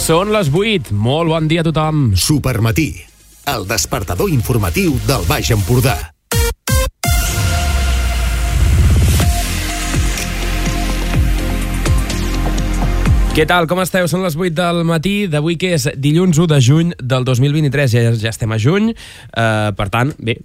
Són les 8. Molt bon dia a tothom. Supermatí, el despertador informatiu del Baix Empordà. Què tal, com esteu? Són les 8 del matí d'avui, que és dilluns 1 de juny del 2023. Ja estem a juny, per tant, bé,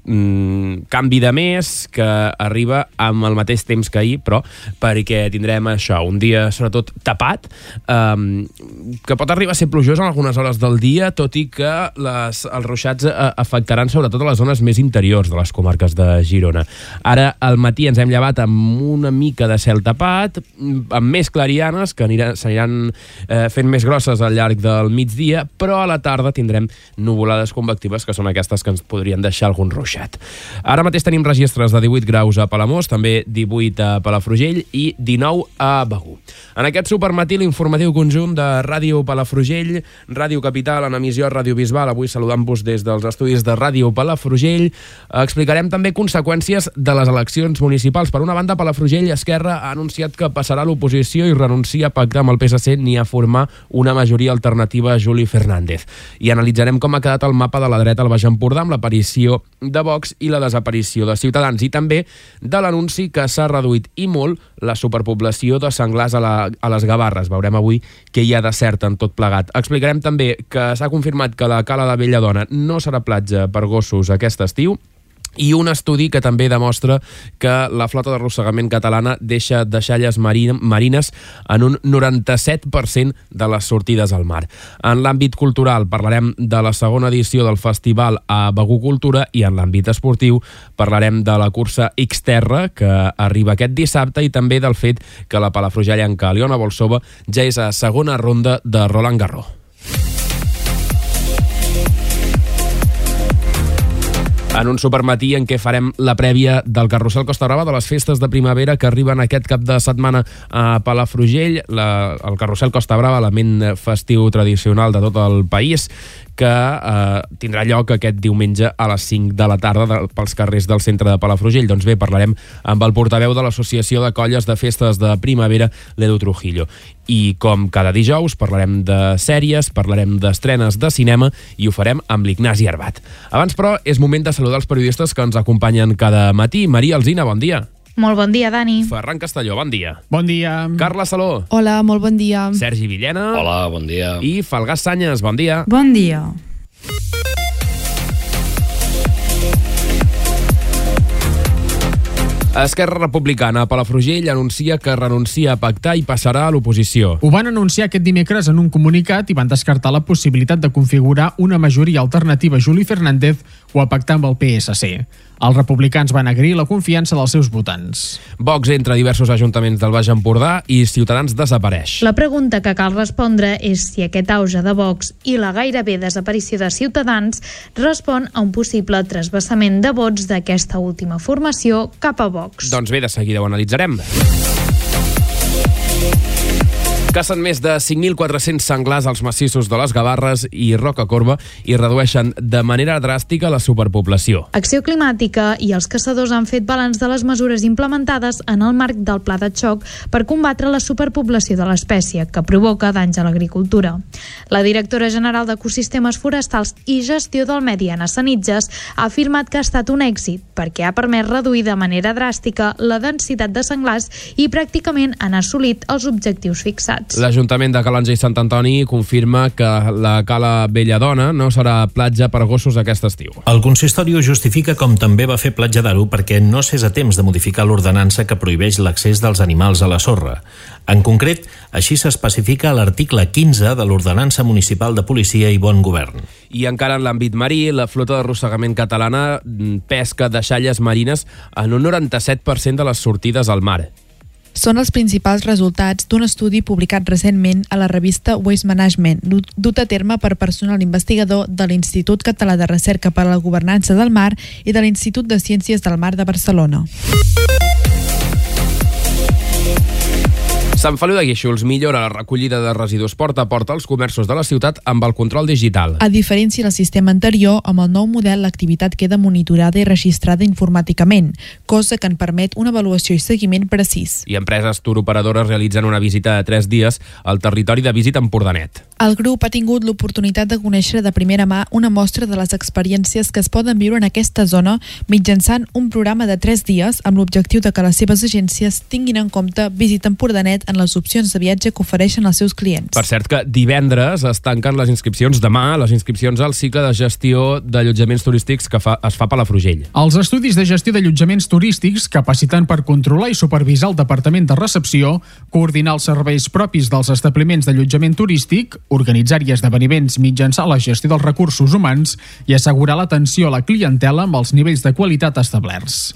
canvi de mes que arriba amb el mateix temps que ahir, però perquè tindrem això, un dia sobretot tapat, que pot arribar a ser plujós en algunes hores del dia, tot i que els ruixats afectaran sobretot a les zones més interiors de les comarques de Girona. Ara, al matí ens hem llevat amb una mica de cel tapat, amb més clarianes que s'aniran fent més grosses al llarg del migdia, però a la tarda tindrem nuvolades convectives, que són aquestes que ens podrien deixar algun ruixat. Ara mateix tenim registres de 18 graus a Palamós, també 18 a Palafrugell i 19 a Begur. En aquest supermatí, l'informatiu conjunt de Ràdio Palafrugell, Ràdio Capital, en emissió Ràdio Bisbal, avui saludant-vos des dels estudis de Ràdio Palafrugell, explicarem també conseqüències de les eleccions municipals. Per una banda, Palafrugell Esquerra ha anunciat que passarà a l'oposició i renuncia a pactar amb el PSC ni a formar una majoria alternativa a Juli Fernández. I analitzarem com ha quedat el mapa de la dreta al Baix Empordà amb l'aparició de Vox i la desaparició de Ciutadans, i també de l'anunci que s'ha reduït i molt la superpoblació de senglars a les Gavarres. Veurem avui què hi ha de cert en tot plegat. Explicarem també que s'ha confirmat que la Cala de Belladona no serà platja per gossos aquest estiu, i un estudi que també demostra que la flota d'arrossegament catalana deixa deixalles marines en un 97% de les sortides al mar. En l'àmbit cultural parlarem de la segona edició del festival a Begur Cultura, i en l'àmbit esportiu parlarem de la cursa Xterra, que arriba aquest dissabte, i també del fet que la palafrugellenca Aliona Bolsova ja és a segona ronda de Roland Garros. En un supermatí en què farem la prèvia del Carrusel Costa Brava, de les festes de primavera que arriben aquest cap de setmana a Palafrugell. El Carrusel Costa Brava, element festiu tradicional de tot el país, que tindrà lloc aquest diumenge a les 5 de la tarda pels carrers del centre de Palafrugell. Doncs bé, parlarem amb el portaveu de l'Associació de Colles de Festes de Primavera, l'Edu Trujillo. I com cada dijous parlarem de sèries, parlarem d'estrenes de cinema, i ho farem amb l'Ignasi Arbat. Abans, però, és moment de saludar els periodistes que ens acompanyen cada matí. Maria Alsina, bon dia. Molt bon dia, Dani. Ferran Castelló, bon dia. Bon dia. Carla Saló. Hola, molt bon dia. Sergi Villena. Hola, bon dia. I Falgàs Sanyes, bon dia. Bon dia. Esquerra Republicana a Palafrugell anuncia que renuncia a pactar i passarà a l'oposició. Ho van anunciar aquest dimecres en un comunicat i van descartar la possibilitat de configurar una majoria alternativa a Juli Fernández o a pactar amb el PSC. Els republicans van agrair la confiança dels seus votants. Vox entra a diversos ajuntaments del Baix Empordà i Ciutadans desapareix. La pregunta que cal respondre és si aquest auge de Vox i la gairebé desaparició de Ciutadans respon a un possible trasbassament de vots d'aquesta última formació cap a Vox. Doncs bé, de seguida ho analitzarem. Cacen més de 5.400 senglars als massissos de les Gavarres i Rocacorba i redueixen de manera dràstica la superpoblació. Acció Climàtica i els caçadors han fet balanç de les mesures implementades en el marc del Pla de Xoc per combatre la superpoblació de l'espècie, que provoca danys a l'agricultura. La directora general d'Ecosistemes Forestals i Gestió del Medi, Anna Sanitges, ha afirmat que ha estat un èxit perquè ha permès reduir de manera dràstica la densitat de senglars i pràcticament han assolit els objectius fixats. L'Ajuntament de Calonge i Sant Antoni confirma que la Cala Belladona no serà platja per gossos aquest estiu. El consistori ho justifica, com també va fer Platja d'Aro, perquè no s'és a temps de modificar l'ordenança que prohibeix l'accés dels animals a la sorra. En concret, així s'especifica a l'article 15 de l'Ordenança Municipal de Policia i Bon Govern. I encara en l'àmbit marí, la flota d'arrossegament catalana pesca deixalles marines en un 97% de les sortides al mar. Són els principals resultats d'un estudi publicat recentment a la revista Waste Management, dut a terme per personal investigador de l'Institut Català de Recerca per a la Governança del Mar i de l'Institut de Ciències del Mar de Barcelona. Sant Feliu de Guíxols millora la recollida de residus porta a porta als comerços de la ciutat amb el control digital. A diferència del sistema anterior, amb el nou model l'activitat queda monitorada i registrada informàticament, cosa que en permet una avaluació i seguiment precís. I empreses turoperadores realitzen una visita de 3 dies al territori de Visit Empordanet. El grup ha tingut l'oportunitat de conèixer de primera mà una mostra de les experiències que es poden viure en aquesta zona mitjançant un programa de 3 dies amb l'objectiu de que les seves agències tinguin en compte Visit Empordanet en les opcions de viatge que ofereixen als seus clients. Per cert que divendres es tanquen les inscripcions, demà, les inscripcions al cicle de gestió d'allotjaments turístics que es fa a Palafrugell. Els estudis de gestió d'allotjaments turístics capaciten per controlar i supervisar el Departament de Recepció, coordinar els serveis propis dels establiments d'allotjament turístic, organitzar i esdeveniments mitjançant la gestió dels recursos humans i assegurar l'atenció a la clientela amb els nivells de qualitat establerts.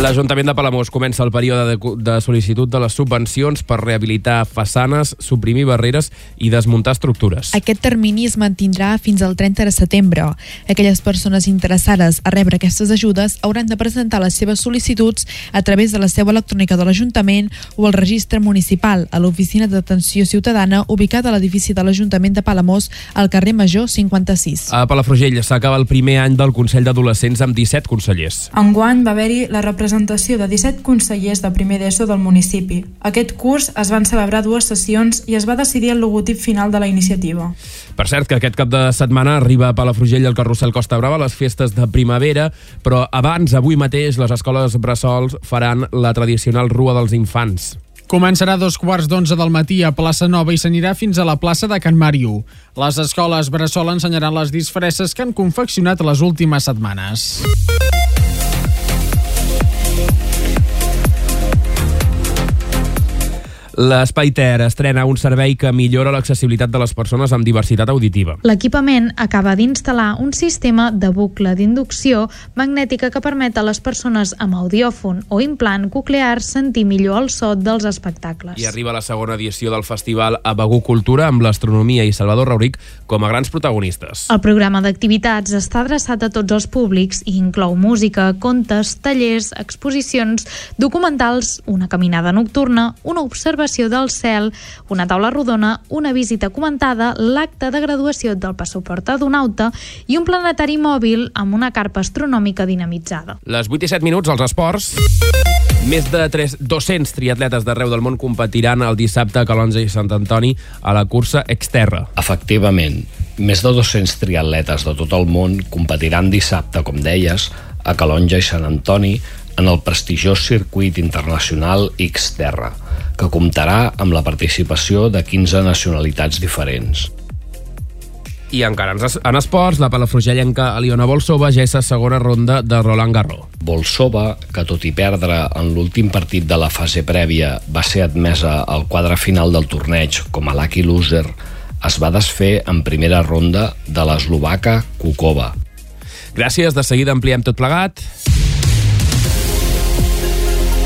L'Ajuntament de Palamós comença el període de sol·licitud de les subvencions per rehabilitar façanes, suprimir barreres i desmuntar estructures. Aquest termini es mantindrà fins al 30 de setembre. Aquelles persones interessades a rebre aquestes ajudes hauran de presentar les seves sol·licituds a través de la seu electrònica de l'Ajuntament o el registre municipal a l'Oficina d'Atenció Ciutadana ubicada a l'edifici de l'Ajuntament de Palamós al carrer Major 56. A Palafrugell s'acaba el primer any del Consell d'Adolescents amb 17 consellers. Enguany va haver-hi la representació de 17 consellers de primer d'ESO del municipi. Aquest curs es van celebrar 2 sessions i es va decidir el logotip final de la iniciativa. Per cert, que aquest cap de setmana arriba a Palafrugell el carrusel Costa Brava a les festes de primavera, però abans, avui mateix, les escoles bressols faran la tradicional Rua dels Infants. Començarà a 11:15 del matí a Plaça Nova i s'anirà fins a la plaça de Can Màriu. Les escoles bressol ensenyaran les disfresses que han confeccionat les últimes setmanes. L'Espai Ter estrena un servei que millora l'accessibilitat de les persones amb diversitat auditiva. L'equipament acaba d'instal·lar un sistema de bucle d'inducció magnètica que permet a les persones amb audiòfon o implant coclear sentir millor el so dels espectacles. I arriba la segona edició del festival a Begur Cultura amb l'astronomia i Salvador Rauric com a grans protagonistes. El programa d'activitats està adreçat a tots els públics i inclou música, contes, tallers, exposicions, documentals, una caminada nocturna, una observació del cel, una taula rodona, una visita comentada, l'acte de graduació del passaport adonauta i un planetari mòbil amb una carpa astronòmica dinamitzada. Les 8 i 7 minuts als esports. Més de 200 triatletes d'arreu del món competiran el dissabte a Calonge i Sant Antoni a la cursa Exterra. Efectivament, més de 200 triatletes de tot el món competiran dissabte, com deies, a Calonge i Sant Antoni en el prestigiós circuit internacional Xterra, que comptarà amb la participació de 15 nacionalitats diferents. I encara en esports, la palafrugellenca Aliona Bolsova ja és a segona ronda de Roland Garros. Bolsova, que tot i perdre en l'últim partit de la fase prèvia va ser admesa al quadre final del torneig com a lucky loser, es va desfer en primera ronda de l'eslovaca Kukova. Gràcies, de seguida ampliem tot plegat.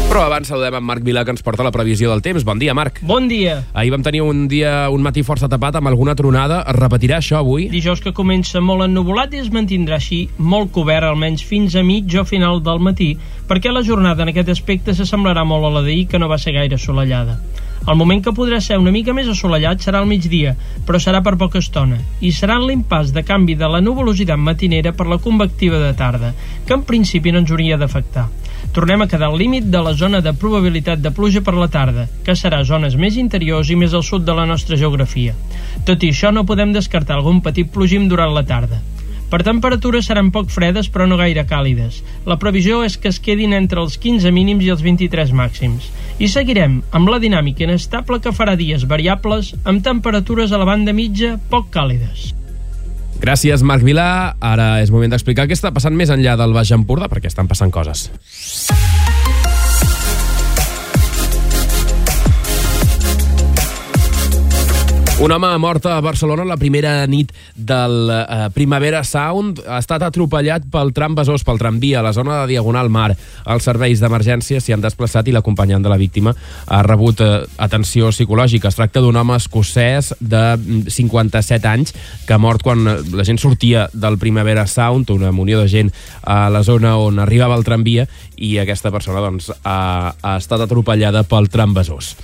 Però abans saludem en Marc Vilà, que ens porta la previsió del temps. Bon dia, Marc. Bon dia. Ahir vam tenir un matí força tapat amb alguna tronada. Es repetirà això avui? Dijous que comença molt ennuvolat i es mantindrà així molt cobert, almenys fins a mig o final del matí, perquè la jornada en aquest aspecte s'assemblarà molt a la d'ahir, que no va ser gaire assolellada. El moment que podrà ser una mica més assolellat serà al migdia, però serà per poca estona, i serà en l'impàs de canvi de la nuvolositat matinera per la convectiva de tarda, que en principi no ens hauria d'afectar. Tornem a quedar al límit de la zona de probabilitat de pluja per la tarda, que serà zones més interiors i més al sud de la nostra geografia. Tot i això, no podem descartar algun petit plogim durant la tarda. Per temperatures seran poc fredes però no gaire càlides. La previsió és que es quedin entre els 15 mínims i els 23 màxims. I seguirem amb la dinàmica inestable que farà dies variables amb temperatures a la banda mitja poc càlides. Gràcies, Marc Vilà. Ara és moment d'explicar què està passant més enllà del Baix Empordà, perquè estan passant coses. Un home mort a Barcelona la primera nit del Primavera Sound ha estat atropellat pel tram Besòs, pel tramvia, a la zona de Diagonal Mar. Els serveis d'emergència s'hi han desplaçat i l'acompanyant de la víctima ha rebut atenció psicològica. Es tracta d'un home escocès de 57 anys que ha mort quan la gent sortia del Primavera Sound, una munió de gent a la zona on arribava el tramvia, i aquesta persona ha estat atropellada pel tram Besòs.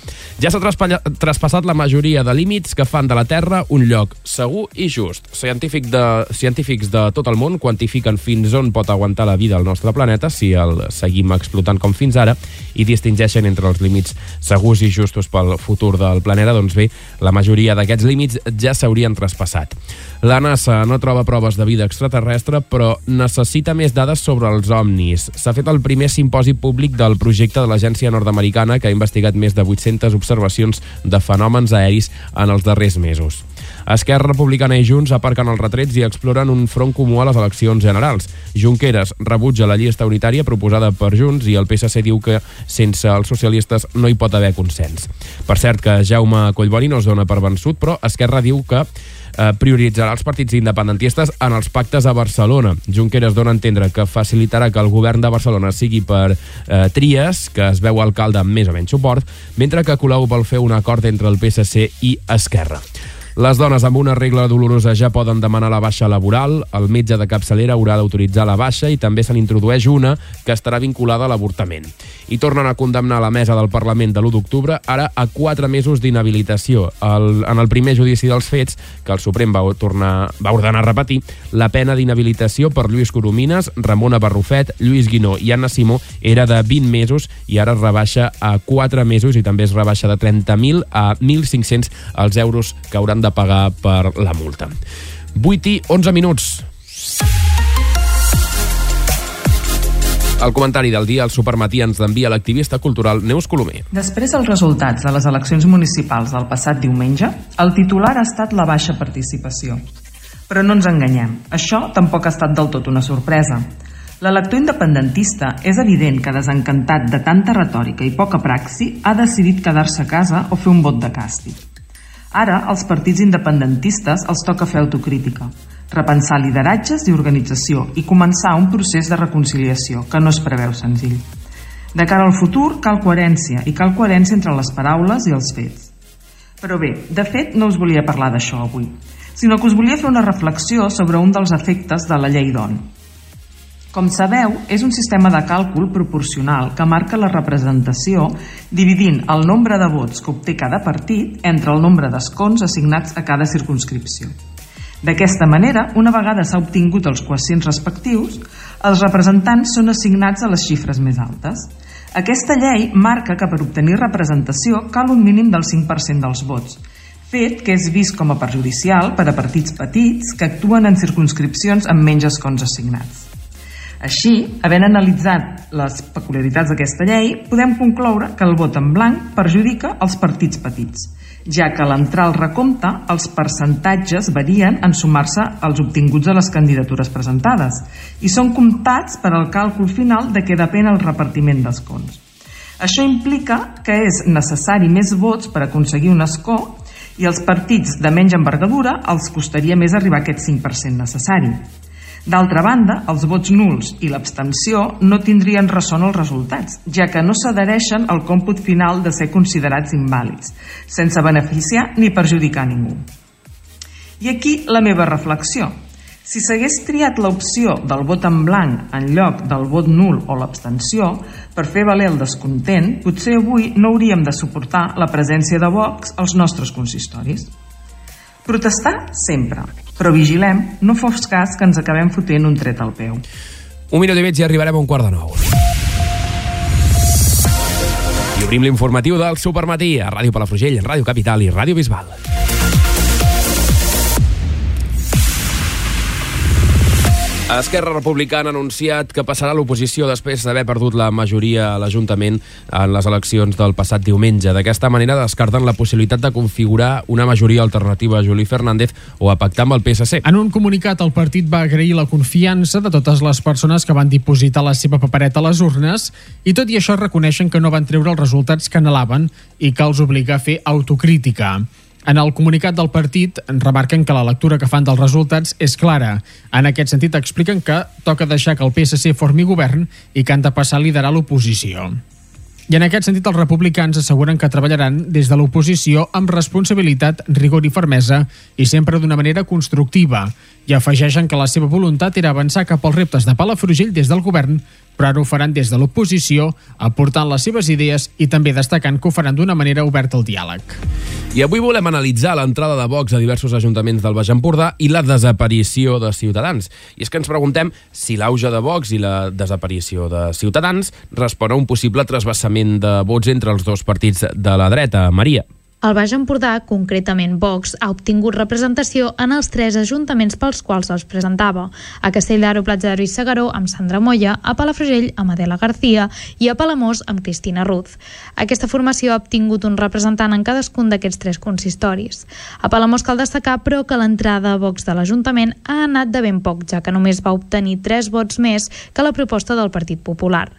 Ja s'ha traspassat la majoria de límits que que fan de la Terra un lloc segur i just. Científics de tot el món quantifiquen fins on pot aguantar la vida al nostre planeta si el seguim explotant com fins ara i distingeixen entre els límits segurs i justos pel futur del planeta. Doncs bé, la majoria d'aquests límits ja s'haurien traspassat. La NASA no troba proves de vida extraterrestre, però necessita més dades sobre els ovnis. S'ha fet el primer simposi públic del projecte de l'agència nord-americana que ha investigat més de 800 observacions de fenòmens aeris en els darrers mesos. Esquerra Republicana i Junts aparquen els retrets i exploren un front comú a les eleccions generals. Junqueras rebutja la llista unitària proposada per Junts i el PSC diu que sense els socialistes no hi pot haver consens. Per cert que Jaume Collboni no es dona per vençut, però Esquerra diu que prioritzarà els partits independentistes en els pactes a Barcelona. Junqueras dona a entendre que facilitarà que el govern de Barcelona sigui per Trias, que es veu alcalde amb més o menys suport, mentre que Colau vol fer un acord entre el PSC i Esquerra. Les dones amb una regla dolorosa ja poden demanar la baixa laboral, el metge de capçalera haurà d'autoritzar la baixa i també se n'introdueix una que estarà vinculada a l'avortament. I tornen a condemnar la mesa del Parlament de l'1 d'octubre ara a 4 mesos d'inhabilitació. En el primer judici dels fets, que el Suprem va ordenar repetir, la pena d'inhabilitació per Lluís Coromines, Ramona Barrufet, Lluís Guinó i Anna Simó era de 20 mesos i ara es rebaixa a 4 mesos i també es rebaixa de 30.000 a 1.500 els euros que hauran de pagar per la multa. 8:11. El comentari del dia al Supermatí ens envia l'activista cultural Neus Colomer. Després dels resultats de les eleccions municipals del passat diumenge, el titular ha estat la baixa participació. Però no ens enganyem, això tampoc ha estat del tot una sorpresa. L'elector independentista és evident que, desencantat de tanta retòrica i poca praxi, ha decidit quedar-se a casa o fer un vot de càstig. Ara, als partits independentistes els toca fer autocrítica, repensar lideratges i organització i començar un procés de reconciliació que no es preveu senzill. De cara al futur cal coherència, i cal coherència entre les paraules i els fets. Però bé, de fet no us volia parlar d'això avui, sinó que us volia fer una reflexió sobre un dels efectes de la llei d'ON. Com sabeu, és un sistema de càlcul proporcional que marca la representació dividint el nombre de vots que obté cada partit entre el nombre d'escons assignats a cada circumscripció. D'aquesta manera, una vegada s'ha obtingut els quocients respectius, els representants són assignats a les xifres més altes. Aquesta llei marca que per obtenir representació cal un mínim del 5% dels vots, fet que és vist com a perjudicial per a partits petits que actuen en circumscripcions amb menys escons assignats. Així, havent analitzat les peculiaritats d'aquesta llei, podem concloure que el vot en blanc perjudica els partits petits, ja que a l'entrar al recompte els percentatges varien en sumar-se als obtinguts a les candidatures presentades i són comptats per al càlcul final de què depèn el repartiment d'escons. Això implica que és necessari més vots per aconseguir un escó i als partits de menys envergadura els costaria més arribar a aquest 5% necessari. D'altra banda, els vots nuls i l'abstenció no tindrien ressò en els resultats, ja que no s'adhereixen al còmput final de ser considerats invàlids, sense beneficiar ni perjudicar ningú. I aquí la meva reflexió. Si s'hagués triat l'opció del vot en blanc en lloc del vot nul o l'abstenció per fer valer el descontent, potser avui no hauríem de suportar la presència de Vox als nostres consistoris. Protestar sempre, però vigilem, no fos cas que ens acabem fotent un tret al peu. 1 minut i mig i arribarem a 8:45. I obrim l'informatiu del Supermatí a Ràdio Palafrugell, Ràdio Capital i Ràdio Bisbal. Esquerra Republicana ha anunciat que passarà a l'oposició després d'haver perdut la majoria a l'Ajuntament en les eleccions del passat diumenge. D'aquesta manera descarten la possibilitat de configurar una majoria alternativa a Juli Fernández o a pactar amb el PSC. En un comunicat, el partit va agrair la confiança de totes les persones que van dipositar la seva papereta a les urnes i tot i això reconeixen que no van treure els resultats que anhelaven i que els obliga a fer autocrítica. En el comunicat del partit remarquen que la lectura que fan dels resultats és clara. En aquest sentit expliquen que toca deixar que el PSC formi govern i que han de passar a liderar l'oposició. I en aquest sentit els republicans asseguren que treballaran des de l'oposició amb responsabilitat, rigor i fermesa i sempre d'una manera constructiva. I afegeixen que la seva voluntat era avançar cap als reptes de Palafrugell des del govern però ara ho faran des de l'oposició, aportant les seves idees i també destacant que ho faran d'una manera oberta al diàleg. I avui volem analitzar l'entrada de Vox a diversos ajuntaments del Baix Empordà i la desaparició de Ciutadans. I és que ens preguntem si l'auge de Vox i la desaparició de Ciutadans respon a un possible trasbassament de vots entre els dos partits de la dreta. Maria. El Baix Empordà, concretament Vox, ha obtingut representació en els 3 ajuntaments pels quals els presentava: a Castelldaro, Platja d'Aro i Segaró amb Sandra Moya, a Palafrugell amb Adela García i a Palamós amb Cristina Ruz. Aquesta formació ha obtingut un representant en cadascun d'aquests 3 consistoris. A Palamós cal destacar, però, que l'entrada a Vox de l'Ajuntament ha anat de ben poc, ja que només va obtenir 3 vots més que la proposta del Partit Popular.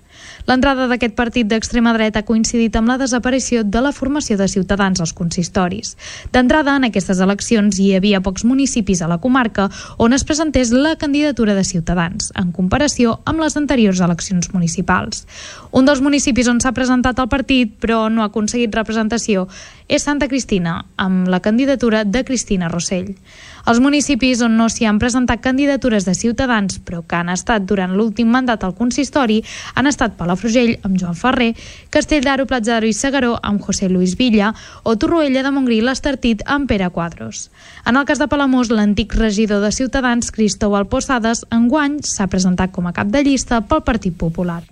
L'entrada d'aquest partit d'extrema dreta ha coincidit amb la desaparició de la formació de Ciutadans als consistoris. D'entrada, en aquestes eleccions hi havia pocs municipis a la comarca on es presentés la candidatura de Ciutadans, en comparació amb les anteriors eleccions municipals. Un dels municipis on s'ha presentat el partit, però no ha aconseguit representació, és Santa Cristina, amb la candidatura de Cristina Rossell. Els municipis on no s'hi han presentat candidatures de Ciutadans, però que han estat durant l'últim mandat al consistori, han estat Palafrugell amb Joan Ferrer, Castelldaro, Platja d'Aro i Segaró amb José Luis Villa o Torroella de Montgrí l'Estartit amb Pere Quadros. En el cas de Palamós, l'antic regidor de Ciutadans, Cristóbal Posades, enguany s'ha presentat com a cap de llista pel Partit Popular.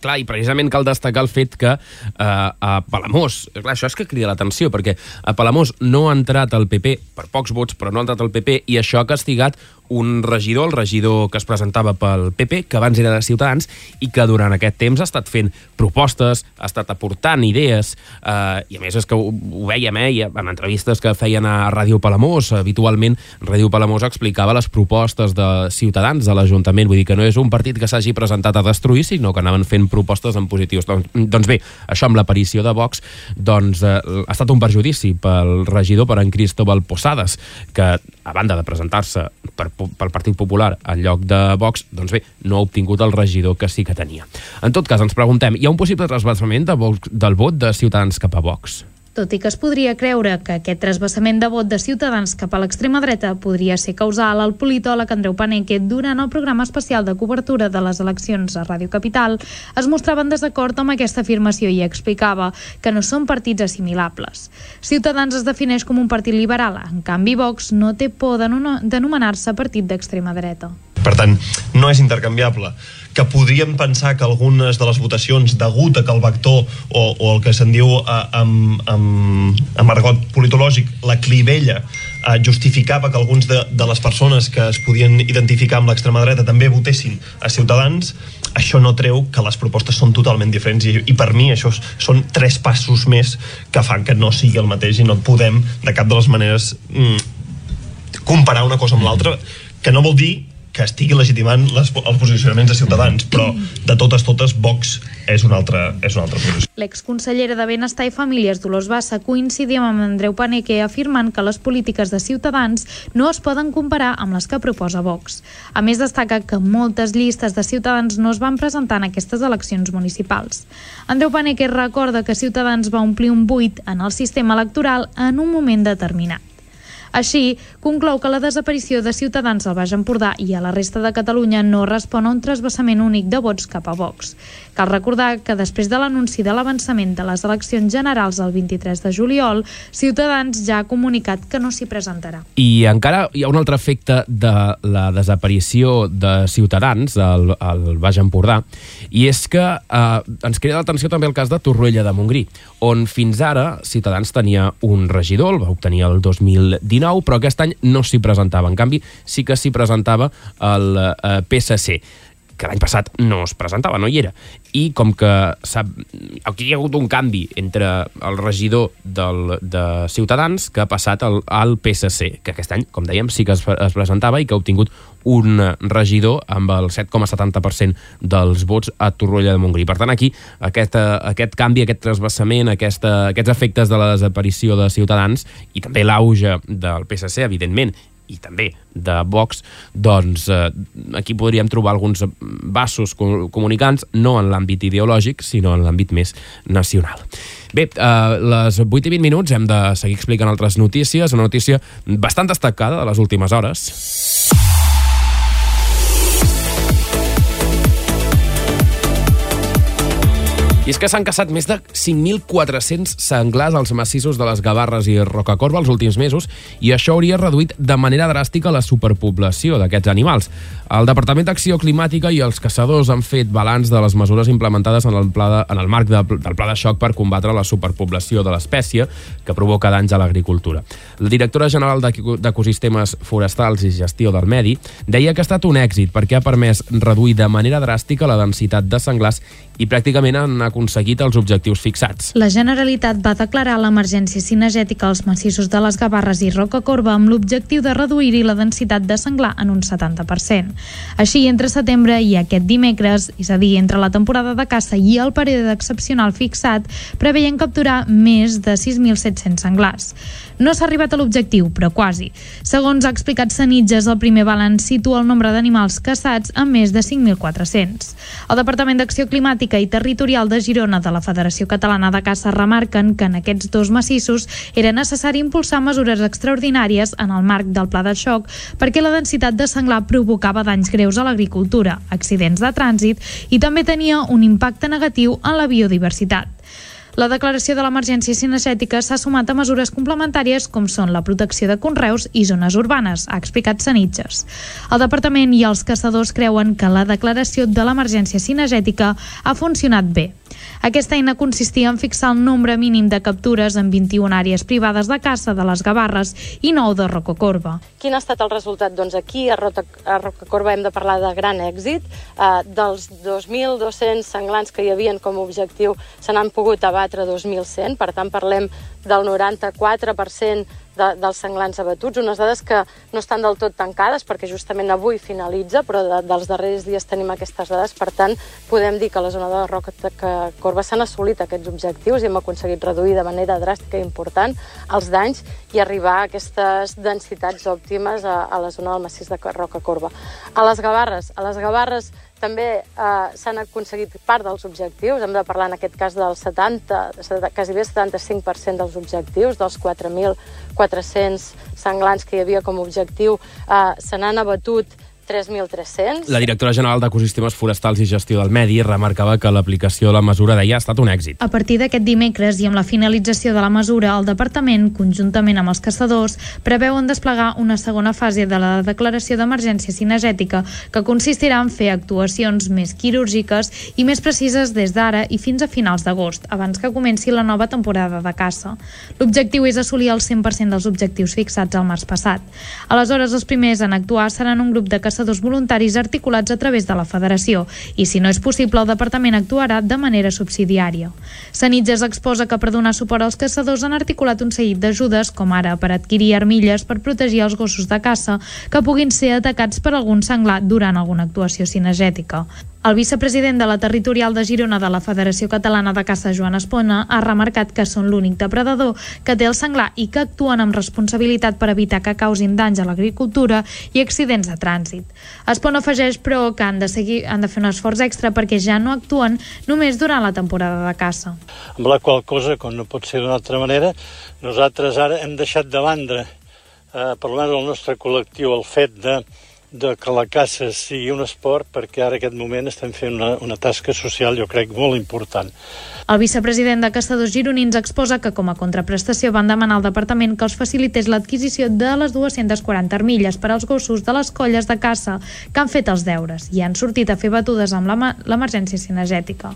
Clar, i precisament cal destacar el fet que a Palamós, clar, això és que crida l'atenció, perquè a Palamós no ha entrat el PP per pocs vots, però no ha entrat el PP, i això ha castigat un regidor, el regidor que es presentava pel PP, que abans era de Ciutadans, i que durant aquest temps ha estat fent propostes, ha estat aportant idees, i a més és que ho veiem, en entrevistes que feien a Ràdio Palamós, habitualment Ràdio Palamós explicava les propostes de Ciutadans a l'Ajuntament, vull dir que no és un partit que s'hagi presentat a destruir, sinó que anaven fent propostes en positius. Doncs bé, això amb l'aparició de Vox ha estat un perjudici pel regidor, per en Cristóbal Posades, que a banda de presentar-se pel Partit Popular al lloc de Vox, doncs bé, no ha obtingut el regidor que sí que tenia. En tot cas, ens preguntem, hi ha un possible trasbassament del vot de Ciutadans cap a Vox? Tot i que es podria creure que aquest trasbassament de vot de Ciutadans cap a l'extrema dreta podria ser causal, el politòleg Andreu Paneque, durant el programa especial de cobertura de les eleccions a Ràdio Capital, es mostrava en desacord amb aquesta afirmació i explicava que no són partits assimilables. Ciutadans es defineix com un partit liberal, en canvi Vox no té por d'anomenar-se partit d'extrema dreta. Per tant, no és intercanviable. Que podríem pensar que algunes de les votacions, degut a que el vector o el que se'n diu amb argot politològic, la clivella, justificava que alguns de les persones que es podien identificar amb l'extrema dreta també votessin a Ciutadans, això no treu que les propostes són totalment diferents i per mi això són 3 passos més que fan que no sigui el mateix i no podem de cap de les maneres comparar una cosa amb l'altra, que no vol dir que estigui legitimant els posicionaments de Ciutadans, però de totes, Vox és una altra posició. L'exconsellera de Benestar i Famílies, Dolors Bassa, coincidia amb Andreu Paneque afirmant que les polítiques de Ciutadans no es poden comparar amb les que proposa Vox. A més, destaca que moltes llistes de Ciutadans no es van presentar en aquestes eleccions municipals. Andreu Paneque recorda que Ciutadans va omplir un buit en el sistema electoral en un moment determinat. Així, conclou que la desaparició de Ciutadans al Baix Empordà i a la resta de Catalunya no respon a un trasbassament únic de vots cap a Vox. Cal recordar que després de l'anunci de l'avançament de les eleccions generals el 23 de juliol, Ciutadans ja ha comunicat que no s'hi presentarà. I encara hi ha un altre efecte de la desaparició de Ciutadans al Baix Empordà, i és que ens crida l'atenció també el cas de Torroella de Montgrí, on fins ara Ciutadans tenia un regidor, el va obtenir el 2019, però aquest any no s'hi presentava. En canvi, sí que s'hi presentava el PSC, que l'any passat no es presentava, no hi era. I com que aquí hi ha hagut un canvi entre el regidor de Ciutadans que ha passat al PSC, que aquest any, com dèiem, sí que es presentava i que ha obtingut un regidor amb el 7,70% dels vots a Torroella de Montgrí. Per tant, aquí aquest canvi, aquest trasbassament, aquests efectes de la desaparició de Ciutadans i també l'auge del PSC, evidentment, i també de Vox, doncs aquí podríem trobar alguns vasos comunicants, no en l'àmbit ideològic, sinó en l'àmbit més nacional. Bé, a les 8:20 hem de seguir explicant altres notícies, una notícia bastant destacada de les últimes hores. I és que s'han caçat més de 5.400 senglars als massissos de les Gavarres i Rocacorba els últims mesos, i això hauria reduït de manera dràstica la superpoblació d'aquests animals. El Departament d'Acció Climàtica i els caçadors han fet balanç de les mesures implementades en el marc del Pla de Xoc per combatre la superpoblació de l'espècie que provoca danys a l'agricultura. La directora general d'Ecosistemes Forestals i Gestió del Medi deia que ha estat un èxit perquè ha permès reduir de manera dràstica la densitat de senglars i pràcticament han aconseguit els objectius fixats. La Generalitat va declarar l'emergència cinegètica als massissos de les Gavarres i Rocacorba amb l'objectiu de reduir-hi la densitat de senglar en un 70%. Així, entre setembre i aquest dimecres, és a dir, entre la temporada de caça i el període excepcional fixat, preveien capturar més de 6.700 senglars. No s'ha arribat a l'objectiu, però quasi. Segons ha explicat Sanitges, el primer balanç situa el nombre d'animals caçats a més de 5.400. El Departament d'Acció Climàtica i Territorial de Girona de la Federació Catalana de Caça remarquen que en aquests dos massissos era necessari impulsar mesures extraordinàries en el marc del Pla de Xoc perquè la densitat de senglar provocava danys greus a l'agricultura, accidents de trànsit i també tenia un impacte negatiu en la biodiversitat. La declaració de l'emergència cinegètica s'ha sumat a mesures complementàries com són la protecció de conreus i zones urbanes, ha explicat Sanitges. El Departament i els caçadors creuen que la declaració de l'emergència cinegètica ha funcionat bé. Aquesta eina consistia en fixar el nombre mínim de captures en 21 àrees privades de caça de les Gavarres i 9 de Rocacorba. Quin ha estat el resultat? Doncs aquí a Rocacorba hem de parlar de gran èxit. Dels 2.200 senglars que hi havien com a objectiu se n'han pogut abatre 2.100, per tant parlem del 94% dels senglars abatuts, unes dades que no estan del tot tancades perquè justament avui finalitza, però dels darrers dies tenim aquestes dades, per tant podem dir que a la zona de Rocacorba s'han assolit aquests objectius i hem aconseguit reduir de manera dràstica i important els danys i arribar a aquestes densitats òptimes a la zona del massís de Rocacorba. A les Gavarres també s'han aconseguit part dels objectius, hem de parlar en aquest cas del quasi bé 75% dels objectius, dels 4.400 senglars que hi havia com a objectiu, se n'han abatut 3.300. La directora general d'Ecosistemes Forestals i Gestió del Medi remarcava que l'aplicació de la mesura ha estat un èxit. A partir d'aquest dimecres i amb la finalització de la mesura, el Departament, conjuntament amb els caçadors, preveuen desplegar una segona fase de la declaració d'emergència cinegètica que consistirà en fer actuacions més quirúrgiques i més precises des d'ara i fins a finals d'agost, abans que comenci la nova temporada de caça. L'objectiu és assolir el 100% dels objectius fixats al març passat. Aleshores, els primers en actuar seran un grup de caçadors voluntaris articulats a través de la Federació i, si no és possible, el Departament actuarà de manera subsidiària. Sanitges exposa que per donar suport als caçadors han articulat un seguit d'ajudes, com ara per adquirir armilles per protegir els gossos de caça que puguin ser atacats per algun senglar durant alguna actuació cinegètica. El vicepresident de la Territorial de Girona de la Federació Catalana de Caça, Joan Espona, ha remarcat que són l'únic depredador que té el senglar i que actuen amb responsabilitat per evitar que causin danys a l'agricultura i accidents de trànsit. Espona afegeix, però, que han de fer un esforç extra perquè ja no actuen només durant la temporada de caça. Amb la qual cosa, com no pot ser d'una altra manera, nosaltres ara hem deixat de banda, per almenys el nostre col·lectiu, el fet de que la caça sigui un esport, perquè ara en aquest moment estem fent una tasca social, jo crec, molt important. El vicepresident de Caçadors Gironins exposa que com a contraprestació van demanar al Departament que els facilités l'adquisició de les 240 armilles per als gossos de les colles de caça que han fet els deures i han sortit a fer batudes amb l'emergència cinegètica.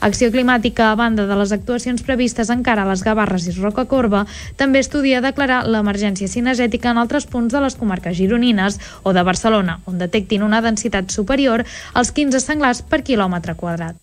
Acció Climàtica, a banda de les actuacions previstes encara a les Gavarres i Rocacorba, també estudia declarar l'emergència cinegètica en altres punts de les comarques gironines o de Barcelona, on detectin una densitat superior als 15 senglars per quilòmetre quadrat.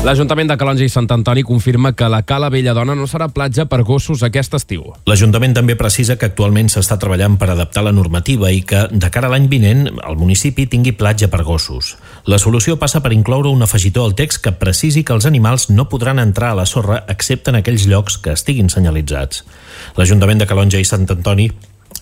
L'Ajuntament de Calonge i Sant Antoni confirma que la Cala Belladona no serà platja per gossos aquest estiu. L'Ajuntament també precisa que actualment s'està treballant per adaptar la normativa i que, de cara a l'any vinent, el municipi tingui platja per gossos. La solució passa per incloure un afegitó al text que precisi que els animals no podran entrar a la sorra excepte en aquells llocs que estiguin senyalitzats. L'Ajuntament de Calonge i Sant Antoni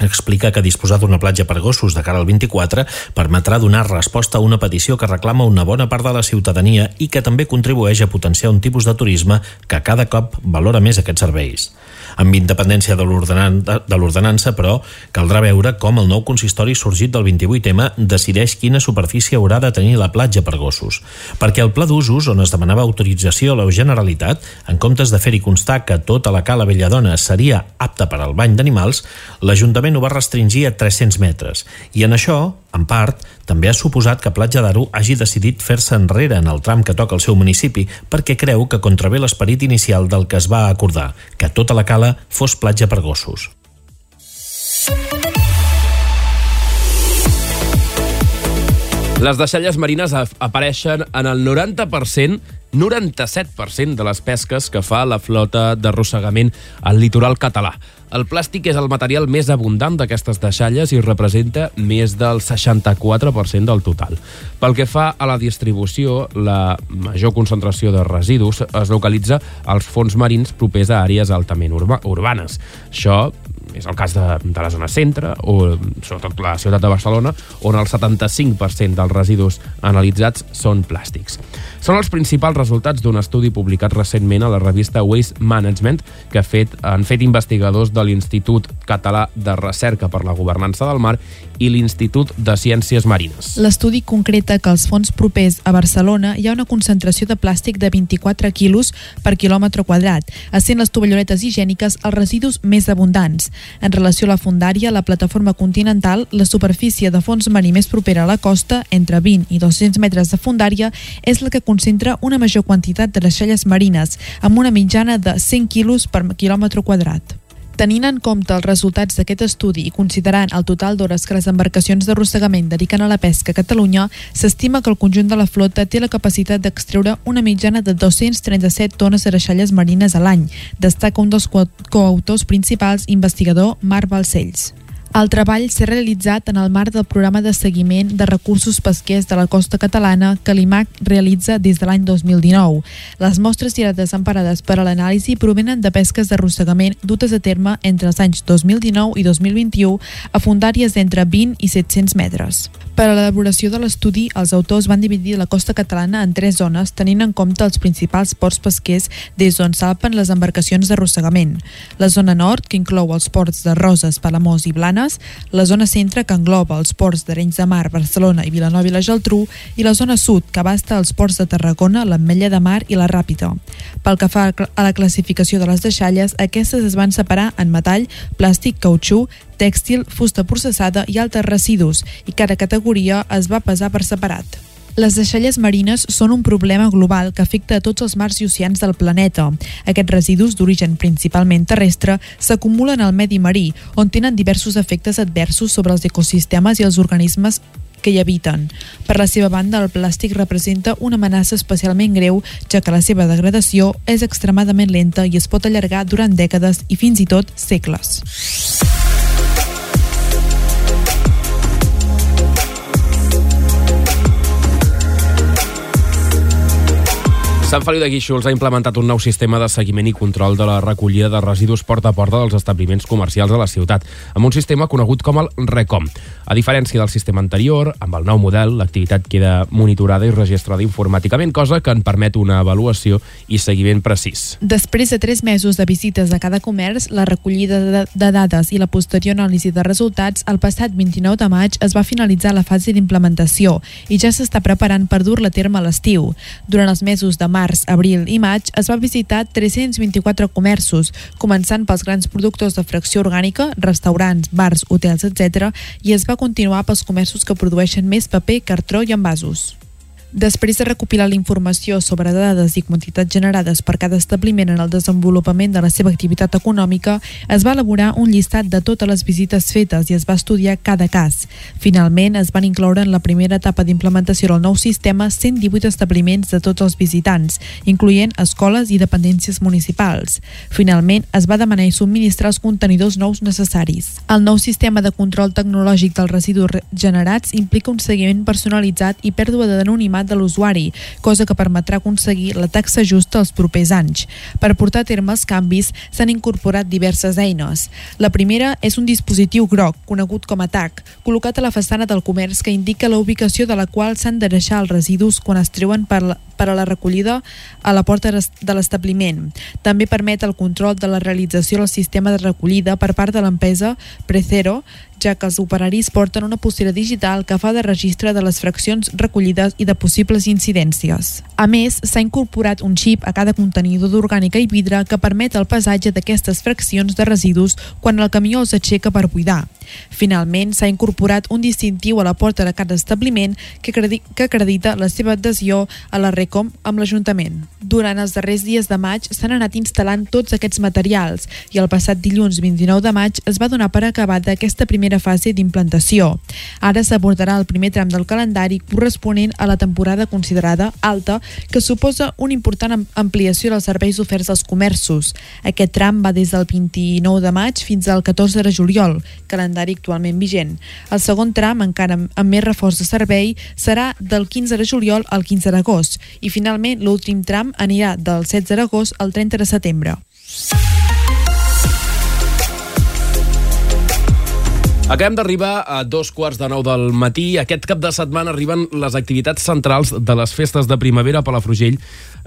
explica que disposar d'una platja per gossos de cara al 24 permetrà donar resposta a una petició que reclama una bona part de la ciutadania i que també contribueix a potenciar un tipus de turisme que cada cop valora més aquests serveis. Amb independència de l'ordenança, però, caldrà veure com el nou consistori sorgit del 28M decideix quina superfície haurà de tenir la platja per gossos. Perquè el pla d'usos, on es demanava autorització a la Generalitat, en comptes de fer-hi constar que tota la cala Belladona seria apta per al bany d'animals, l'Ajuntament ho va restringir a 300 metres. I en això, en part, també ha suposat que Platja d'Aro hagi decidit fer-se enrere en el tram que toca el seu municipi perquè creu que contravé l'esperit inicial del que es va acordar, que tota la cala fos platja per gossos. Les deixalles marines apareixen en el 97% de les pesques que fa la flota d'arrossegament al litoral català. El plàstic és el material més abundant d'aquestes deixalles i representa més del 64% del total. Pel que fa a la distribució, la major concentració de residus es localitza als fons marins propers a àrees altament urbanes. Això és el cas de la zona centre o sobretot la ciutat de Barcelona, on el 75% dels residus analitzats són plàstics. Són els principals resultats d'un estudi publicat recentment a la revista Waste Management que han fet investigadors de l'Institut Català de Recerca per la Governança del Mar i l'Institut de Ciències Marines. L'estudi concreta que als fons propers a Barcelona hi ha una concentració de plàstic de 24 quilos per quilòmetre quadrat, essent les tovalloletes higièniques els residus més abundants. En relació a la fondària, la plataforma continental, la superfície de fons marí més propera a la costa, entre 20 i 200 metres de fondària, és la que concentra una major quantitat de deixalles marines, amb una mitjana de 100 quilos per quilòmetre quadrat. Tenint en compte els resultats d'aquest estudi i considerant el total d'hores que les embarcacions d'arrossegament dediquen a la pesca a Catalunya, s'estima que el conjunt de la flota té la capacitat d'extreure una mitjana de 237 tones de deixalles marines a l'any, destaca un dels coautors principals, investigador Marc Balcells. El treball s'ha realitzat en el marc del programa de seguiment de recursos pesquers de la costa catalana que l'IMAC realitza des de l'any 2019. Les mostres i dades emparades per a l'anàlisi provenen de pesques d'arrossegament dutes a terme entre els anys 2019 i 2021 a fondàries d'entre 20 i 700 metres. Per a l'elaboració de l'estudi, els autors van dividir la costa catalana en 3 zones, tenint en compte els principals ports pesquers des d'on salpen les embarcacions d'arrossegament. La zona nord, que inclou els ports de Roses, Palamós i Blanes, la zona centre, que engloba els ports d'Arenys de Mar, Barcelona i Vilanova i la Geltrú, i la zona sud, que abasta els ports de Tarragona, l'Ametlla de Mar i la Ràpita. Pel que fa a la classificació de les deixalles, aquestes es van separar en metall, plàstic, cautxú, tèxtil, fusta processada i altres residus, i cada categoria es va pesar per separat. Les deixalles marines són un problema global que afecta a tots els mars i oceans del planeta. Aquests residus, d'origen principalment terrestre, s'acumulen al medi marí, on tenen diversos efectes adversos sobre els ecosistemes i els organismes que hi habiten. Per la seva banda, el plàstic representa una amenaça especialment greu, ja que la seva degradació és extremadament lenta i es pot allargar durant dècades i fins i tot segles. Sant Feliu de Guíxols ha implementat un nou sistema de seguiment i control de la recollida de residus porta a porta dels establiments comercials de la ciutat, amb un sistema conegut com el RECOM. A diferència del sistema anterior, amb el nou model, l'activitat queda monitorada i registrada informàticament, cosa que en permet una avaluació i seguiment precís. Després de 3 mesos de visites a cada comerç, la recollida de dades i la posterior anàlisi de resultats, el passat 29 de maig es va finalitzar la fase d'implementació i ja s'està preparant per dur-la a terme a l'estiu. Durant els mesos de març, abril i maig es va visitar 324 comerços, començant pels grans productors de fracció orgànica, restaurants, bars, hotels, etc., i es va continuar pels comerços que produeixen més paper, cartró i envasos. Després de recopilar la informació sobre dades i quantitats generades per cada establiment en el desenvolupament de la seva activitat econòmica, es va elaborar un llistat de totes les visites fetes i es va estudiar cada cas. Finalment, es van incloure en la primera etapa d'implementació del nou sistema 118 establiments de tots els visitants, incloent escoles i dependències municipals. Finalment, es va demanar i subministrar els contenidors nous necessaris. El nou sistema de control tecnològic dels residus generats implica un seguiment personalitzat i pèrdua d'anonimat estimat de l'usuari, cosa que permetrà aconseguir la taxa justa els propers anys. Per portar a terme els canvis s'han incorporat diverses eines. La primera és un dispositiu groc, conegut com a TAC, col·locat a la façana del comerç que indica la ubicació de la qual s'han de deixar els residus quan es treuen per a la recollida a la porta de l'establiment. També permet el control de la realització del sistema de recollida per part de l'empresa Precero, ja que els operaris porten una pulsera digital que fa de registre de les fraccions recollides i de possibles incidències. A més, s'ha incorporat un xip a cada contenidor d'orgànica i vidre que permet el pesatge d'aquestes fraccions de residus quan el camió els aixeca per buidar. Finalment, s'ha incorporat un distintiu a la porta de cada establiment que acredita la seva adhesió a la RECOM amb l'Ajuntament. Durant els darrers dies de maig s'han anat instal·lant tots aquests materials i el passat dilluns 29 de maig es va donar per acabada aquesta primera fase d'implantació. Ara s'abordarà el primer tram del calendari corresponent a la temporada considerada alta, que suposa una important ampliació dels serveis oferts als comerços. Aquest tram va des del 29 de maig fins al 14 de juliol, calendari actualment vigent. El segon tram, encara amb més reforç de servei, serà del 15 de juliol al 15 d'agost i finalment l'últim tram anirà del 16 d'agost al 30 de setembre. Acabem d'arribar a 2:15 del matí. Aquest cap de setmana arriben les activitats centrals de les festes de primavera a Palafrugell.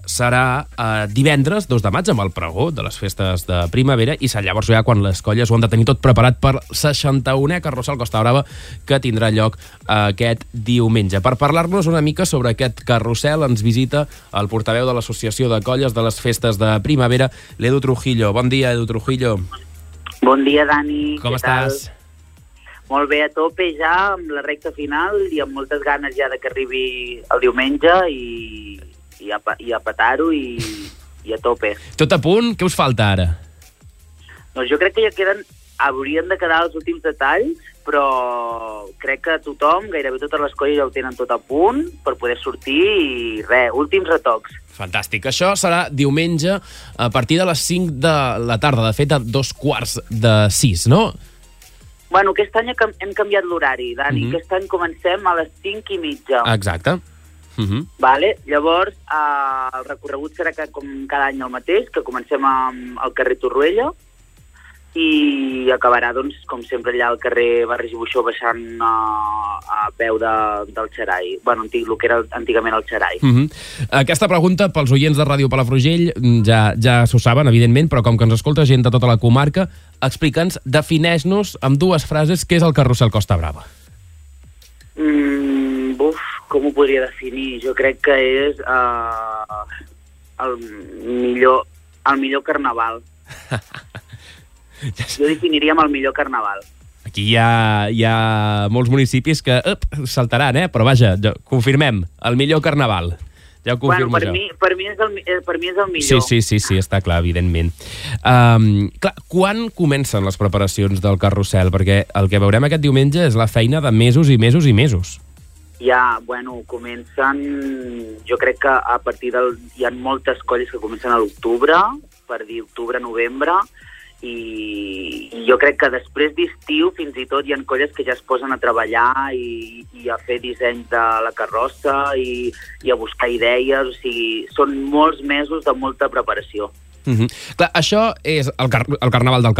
Serà divendres 2 de maig amb el pregó de les festes de primavera i serà llavors ja quan les colles ho han de tenir tot preparat per 61è Carrossel Costa Brava que tindrà lloc aquest diumenge. Per parlar-nos una mica sobre aquest carrusel ens visita el portaveu de l'Associació de Colles de les Festes de Primavera, l'Edu Trujillo. Bon dia, Edu Trujillo. Bon dia, Dani. Com estàs? Molt bé, a tope ja, amb la recta final i amb moltes ganes ja de que arribi el diumenge i a petar-ho i a tope. Tot a punt? Què us falta ara? Doncs jo crec que ja haurien de quedar els últims detalls, però crec que tothom, gairebé totes les colles ja ho tenen tot a punt per poder sortir i últims retocs. Fantàstic. Això serà diumenge a partir de les 5 de la tarda, de fet a 5:45, no? Bueno, aquest any hem canviat l'horari, Dani. Aquest any comencem a les 5:30. Exacte. Vale? Llavors, el recorregut serà com cada any el mateix, que comencem al carrer Torroella i acabarà, doncs, com sempre, allà al carrer Barris i Buixó baixant a peu del Xerai. Bueno, el que era antigament el Xerai. Aquesta pregunta pels oients de Ràdio Palafrugell ja s'ho saben, evidentment, però com que ens escolta gent de tota la comarca, explica'ns, defineix-nos amb 2 frases què és el Carrusel Costa Brava. Com ho podria definir? Jo crec que és el millor carnaval. Jo definiria amb el millor carnaval. Aquí hi ha molts municipis que saltaran, però vaja, confirmem, el millor carnaval. Ja ho confirmo jo. Per mi és el millor. Sí, està clar, evidentment. Clar, quan comencen les preparacions del carrusel? Perquè el que veurem aquest diumenge és la feina de mesos i mesos i mesos. Ja, comencen... Jo crec que a partir hi ha moltes colles que comencen a l'octubre, per dir octubre-novembre, i jo crec que després d'estiu fins i tot hi ha colles que ja es posen a treballar i a fer disseny de la carrossa i a buscar idees, o sigui, són molts mesos de molta preparació. Clar, això és el carnaval de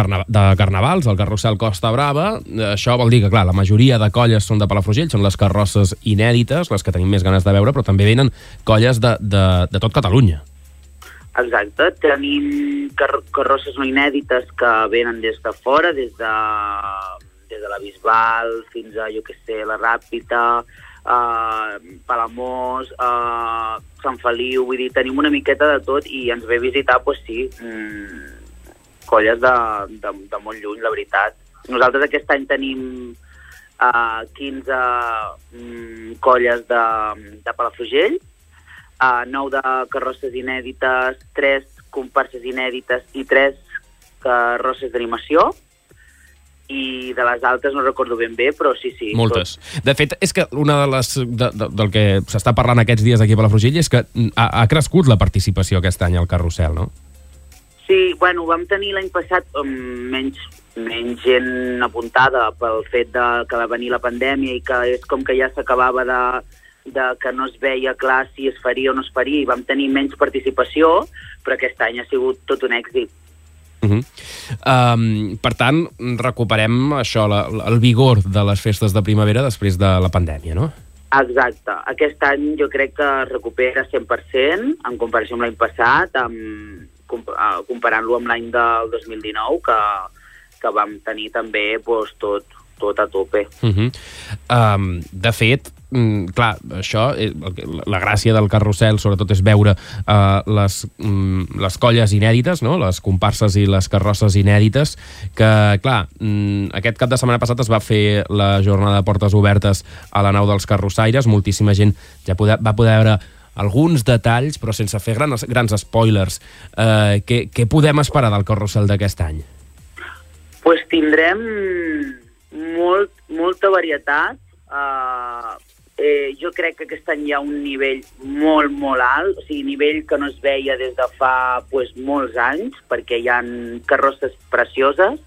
carnavals, el Carrusel Costa Brava. Això vol dir que, clar, la majoria de colles són de Palafrugell, són les carrosses inèdites, les que tenim més ganes de veure, però també venen colles de tot Catalunya. Exacte, tenim carrosses no inèdites que venen des de fora, des de la Bisbal fins a, la Ràpita, Palamós, Sant Feliu, vull dir, tenim una miqueta de tot i ens ve a visitar, colles de molt lluny, la veritat. Nosaltres aquest any tenim 15 colles de Palafrugell, 9 de carrosses inèdites, 3 comparses inèdites i 3 carrosses d'animació, i de les altres no recordo ben bé, però sí. Moltes. De fet, és que una de les del que s'està parlant aquests dies aquí a Palafrugell és que ha crescut la participació aquest any al carrusel, no? Sí, vam tenir l'any passat menys gent apuntada pel fet que va venir la pandèmia i que és com que ja s'acabava que no es veia clar si es faria o no es faria i vam tenir menys participació, però aquest any ha sigut tot un èxit. Per tant, recuperem això, el vigor de les festes de primavera després de la pandèmia, no? Exacte. Aquest any jo crec que es recupera 100% en comparació amb l'any passat, comparant-lo amb l'any del 2019, que vam tenir també tot a tope. De fet, clar, això, la gràcia del carrusel sobretot és veure les colles inèdites, no? Les comparses i les carrosses inèdites, que, clar, aquest cap de setmana passat es va fer la jornada de portes obertes a la nau dels carrossaires, moltíssima gent ja va poder veure alguns detalls, però sense fer grans spoilers. Què podem esperar del carrusel d'aquest any? Pues tindrem molta varietat. Jo crec que aquest any hi ha un nivell molt, molt alt, o sigui, nivell que no es veia des de fa molts anys, perquè hi ha carrosses precioses,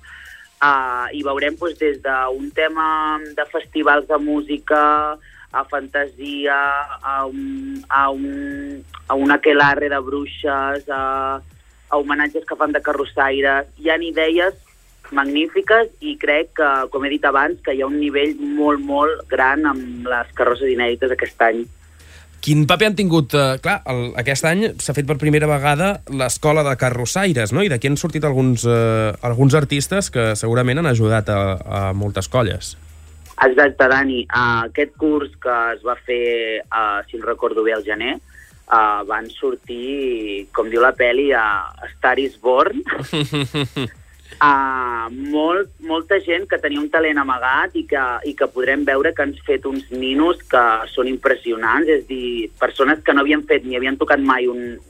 i veurem des d'un tema de festivals de música, a fantasia, a un aquelarre de bruixes, a homenatges que fan de carrossaires. Hi ha idees magnífiques i crec que, com he dit abans, que hi ha un nivell molt, molt gran amb les carrosses inèdites aquest any. Quin paper han tingut? Clar, aquest any s'ha fet per primera vegada l'escola de carrossaires, no? I d'aquí han sortit alguns artistes que segurament han ajudat a moltes colles. Exacte, Dani. Aquest curs que es va fer, si no recordo bé, al gener, van sortir, com diu la pel·li, a Star is Born. Molta gent que tenia un talent amagat i que podrem veure que han fet uns ninos que són impressionants, és a dir, persones que no havien fet ni havien tocat mai un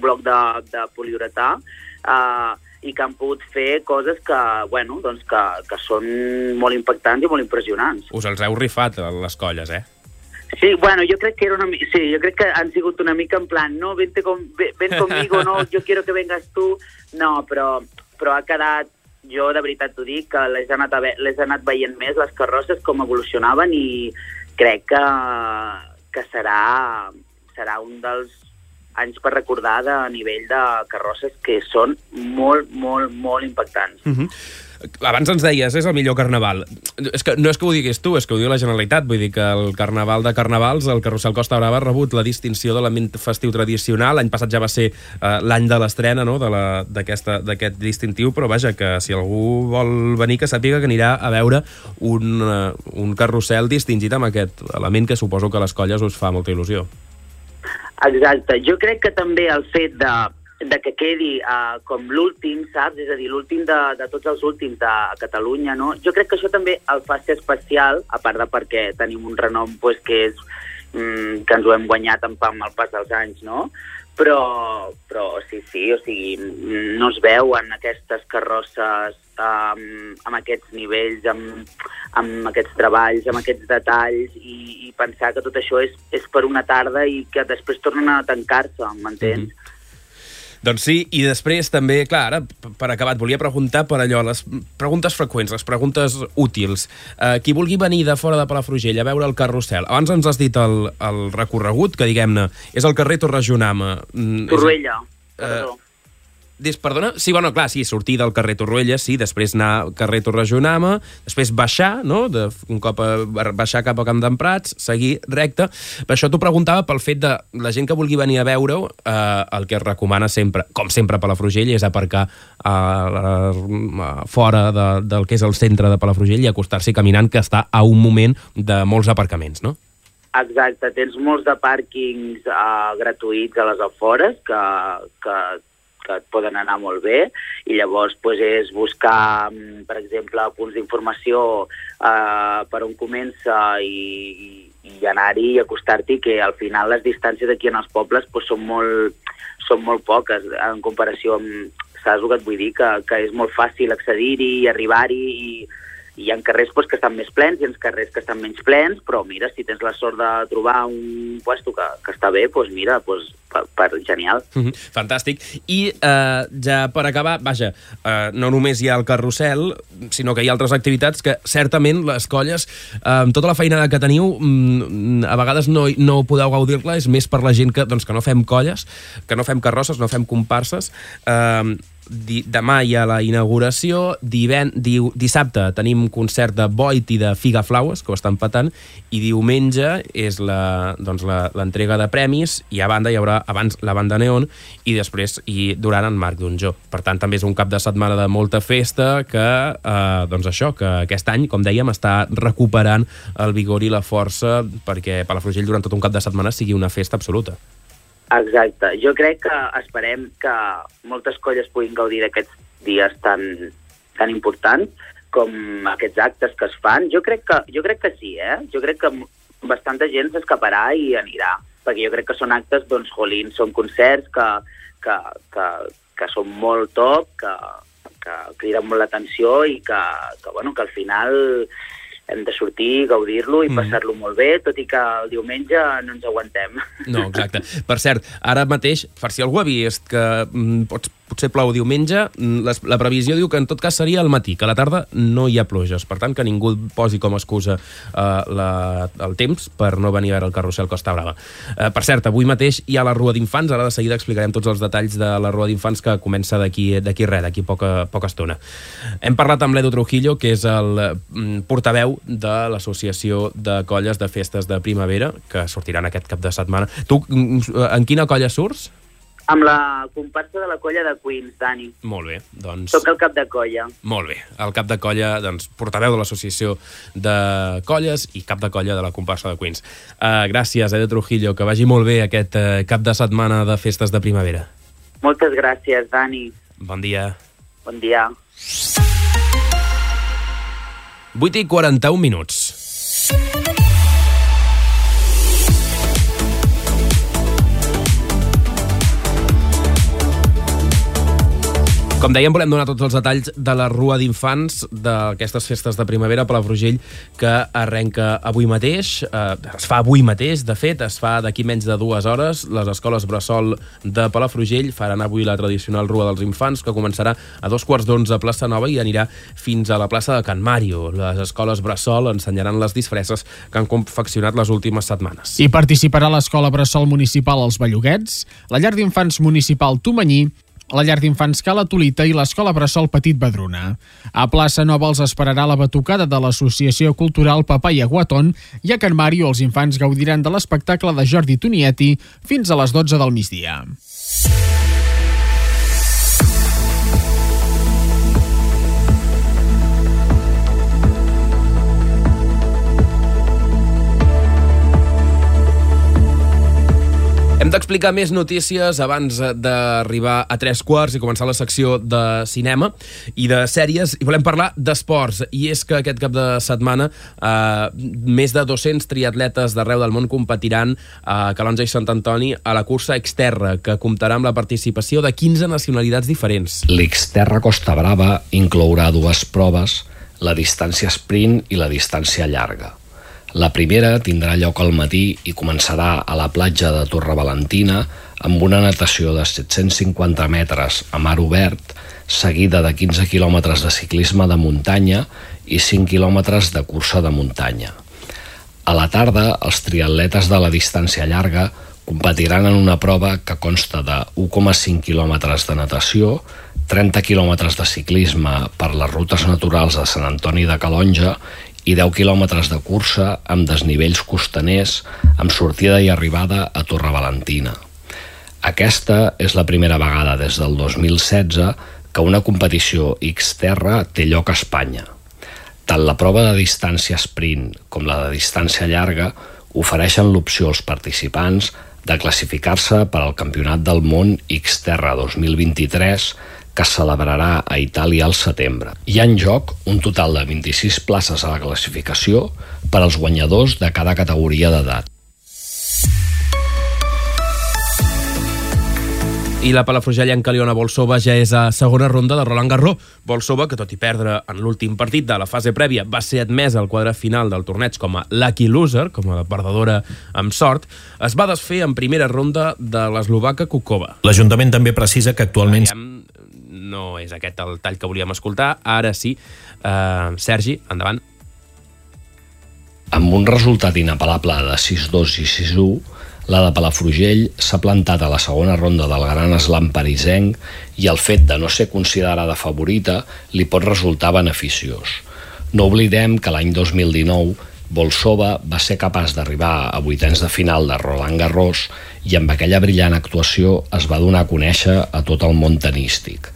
bloc de poliuretà i que han pogut fer coses que són molt impactants i molt impressionants. Us els heu rifat, les colles, eh? Sí, jo crec que jo crec que han sigut una mica en plan, no, ven conmigo, no, yo quiero que vengas tú. No, però ha quedat, jo de veritat t'ho dic, que les he anat veient més, les carrosses, com evolucionaven, i crec que serà un dels anys per recordar de nivell de carrosses que són molt, molt, molt impactants. Abans ens deies, és el millor carnaval. No és que ho diguis tu, és que ho diu la Generalitat. Vull dir que el carnaval de carnavals, el Carrusel Costa Brava, ha rebut la distinció d'element festiu tradicional. L'any passat ja va ser l'any de l'estrena, no?, d'aquest distintiu, però vaja, que si algú vol venir, que sàpiga que anirà a veure un carrusel distingit amb aquest element que suposo que a les colles us fa molta il·lusió. Exacte. Jo crec que també el fet de que quedi com l'últim, saps? És a dir, l'últim de tots els últims de Catalunya, no? Jo crec que això també el fa ser especial, a part de perquè tenim un renom que és que ens ho hem guanyat amb el pas dels anys, no? Però sí, o sigui, no es veuen aquestes carrosses amb aquests nivells, amb aquests treballs, amb aquests detalls, i pensar que tot això és per una tarda i que després tornen a tancar-se, m'entens? Doncs sí, i després també, clar, ara, per acabar, et volia preguntar per allò, les preguntes freqüents, les preguntes útils. Qui vulgui venir de fora de Palafrugell a veure el carrusel, abans ens has dit el recorregut, que diguem-ne, és el carrer Torregionama. Torroella, perdó. Perdona? Sí, bueno, clar, sí, sortir del carrer Torroella, sí, després anar al carrer Torregionama, després baixar, no?, un cop baixar cap a Camp d'en Prats, seguir recte. Per això t'ho preguntava pel fet de la gent que vulgui venir a veure-ho, el que es recomana sempre, com sempre a Palafrugell, és aparcar fora del que és el centre de Palafrugell i acostar-s'hi caminant, que està a un moment de molts aparcaments, no? Exacte, tens molts de pàrquings gratuïts a les afores que et poden anar molt bé, i llavors és buscar, per exemple, punts d'informació per on comença i anar-hi i acostar-t'hi, que al final les distàncies aquí en els pobles són molt poques en comparació amb, saps el que et vull dir, que és molt fàcil accedir-hi i arribar-hi hi ha carrers que estan més plens, hi ha carrers que estan menys plens, però mira, si tens la sort de trobar un puesto que està bé, doncs mira, genial. Fantàstic. I ja per acabar, vaja, no només hi ha el carrusel, sinó que hi ha altres activitats que certament les colles, amb tota la feinada que teniu, a vegades no podeu gaudir-la, és més per la gent que no fem colles, que no fem carrosses, no fem comparses. Demà hi ha la inauguració, dissabte tenim concert de Void i de Figaflaues, que ho estan patant, i diumenge és l'entrega de premis, i a banda hi haurà abans la banda Neon i després durant en Marc Donjó. Per tant, també és un cap de setmana de molta festa que aquest any, com dèiem, està recuperant el vigor i la força perquè Palafrugell durant tot un cap de setmana sigui una festa absoluta. Exacte. Jo crec que esperem que moltes colles puguin gaudir d'aquests dies tan importants com aquests actes que es fan. Jo crec que sí, Jo crec que bastanta gent s'escaparà i anirà, perquè jo crec que són actes, són concerts que són molt top, que criden molt l'atenció i que al final hem de sortir, gaudir-lo i passar-lo molt bé, tot i que el diumenge no ens aguantem. No, exacte. Per cert, ara mateix, per si algú ha vist que potser plou diumenge, la previsió diu que en tot cas seria al matí, que a la tarda no hi ha pluges. Per tant, que ningú posi com a excusa el temps per no venir a veure el carrusel Costa Brava. Per cert, avui mateix hi ha la Rua d'Infants, ara de seguida explicarem tots els detalls de la Rua d'Infants que comença d'aquí poca estona. Hem parlat amb l'Edu Trujillo, que és el portaveu de l'Associació de Colles de Festes de Primavera, que sortiran aquest cap de setmana. Tu, en quina colla surts? Amb la comparsa de la colla de Queens, Dani. Molt bé, doncs... Soc el cap de colla. Molt bé, el cap de colla, doncs, portaveu de l'Associació de Colles i cap de colla de la comparsa de Queens. Gràcies, Edu Trujillo, que vagi molt bé aquest cap de setmana de festes de primavera. Moltes gràcies, Dani. Bon dia. Bon dia. 8:41. Com dèiem, volem donar tots els detalls de la Rua d'Infants d'aquestes festes de primavera a Palafrugell, que arrenca avui mateix. Es fa avui mateix, de fet, es fa d'aquí menys de 2 hores. Les escoles Bressol de Palafrugell faran avui la tradicional Rua dels Infants, que començarà a 11:15 a Plaça Nova i anirà fins a la plaça de Can Mario. Les escoles Bressol ensenyaran les disfresses que han confeccionat les últimes setmanes. Hi participarà l'Escola Bressol Municipal als Belluguets, la Llar d'Infants Municipal Tomanyí, la Llar d'Infants Cala Tolita i l'Escola Bressol Petit Badruna. A Plaça Nova els esperarà la batucada de l'Associació Cultural Papaya Guatón i a Can Mario els infants gaudiran de l'espectacle de Jordi Tunietti fins a les 12 del migdia. Hem d'explicar més notícies abans d'arribar a 3:15 i començar la secció de cinema i de sèries, i volem parlar d'esports. I és que aquest cap de setmana més de 200 triatletes d'arreu del món competiran a Calonge i Sant Antoni a la cursa Xterra, que comptarà amb la participació de 15 nacionalitats diferents. L'Xterra Costa Brava inclourà 2 proves, la distància sprint i la distància llarga. La primera tindrà lloc al matí i començarà a la platja de Torrevalentina amb una natació de 750 metres a mar obert, seguida de 15 quilòmetres de ciclisme de muntanya i 5 quilòmetres de cursa de muntanya. A la tarda, els triatletes de la distància llarga competiran en una prova que consta de 1,5 quilòmetres de natació, 30 quilòmetres de ciclisme per les rutes naturals de Sant Antoni de Calonge i 10 quilòmetres de cursa amb desnivells costaners amb sortida i arribada a Torrevalentina. Aquesta és la primera vegada des del 2016 que una competició Xterra té lloc a Espanya. Tant la prova de distància sprint com la de distància llarga ofereixen l'opció als participants de classificar-se per al Campionat del Món Xterra 2023 que es celebrarà a Itàlia al setembre. Hi ha en joc un total de 26 places a la classificació per als guanyadors de cada categoria d'edat. I la palafrugellenca Aliona Bolsova ja és a segona ronda de Roland Garros. Bolsova, que tot i perdre en l'últim partit de la fase prèvia, va ser admesa al quadre final del torneig com a lucky loser, com a perdedora amb sort, es va desfer en primera ronda de l'eslovaca Kukova. L'Ajuntament també precisa que actualment... No és aquest el tall que volíem escoltar. Ara sí. Sergi, endavant. Amb un resultat inapel·lable de 6-2 i 6-1, la de Palafrugell s'ha plantat a la segona ronda del Gran Slam parisenc i el fet de no ser considerada favorita li pot resultar beneficiós. No oblidem que l'any 2019 Bolsova va ser capaç d'arribar a vuitens de final de Roland Garros i amb aquella brillant actuació es va donar a conèixer a tot el món tenístic.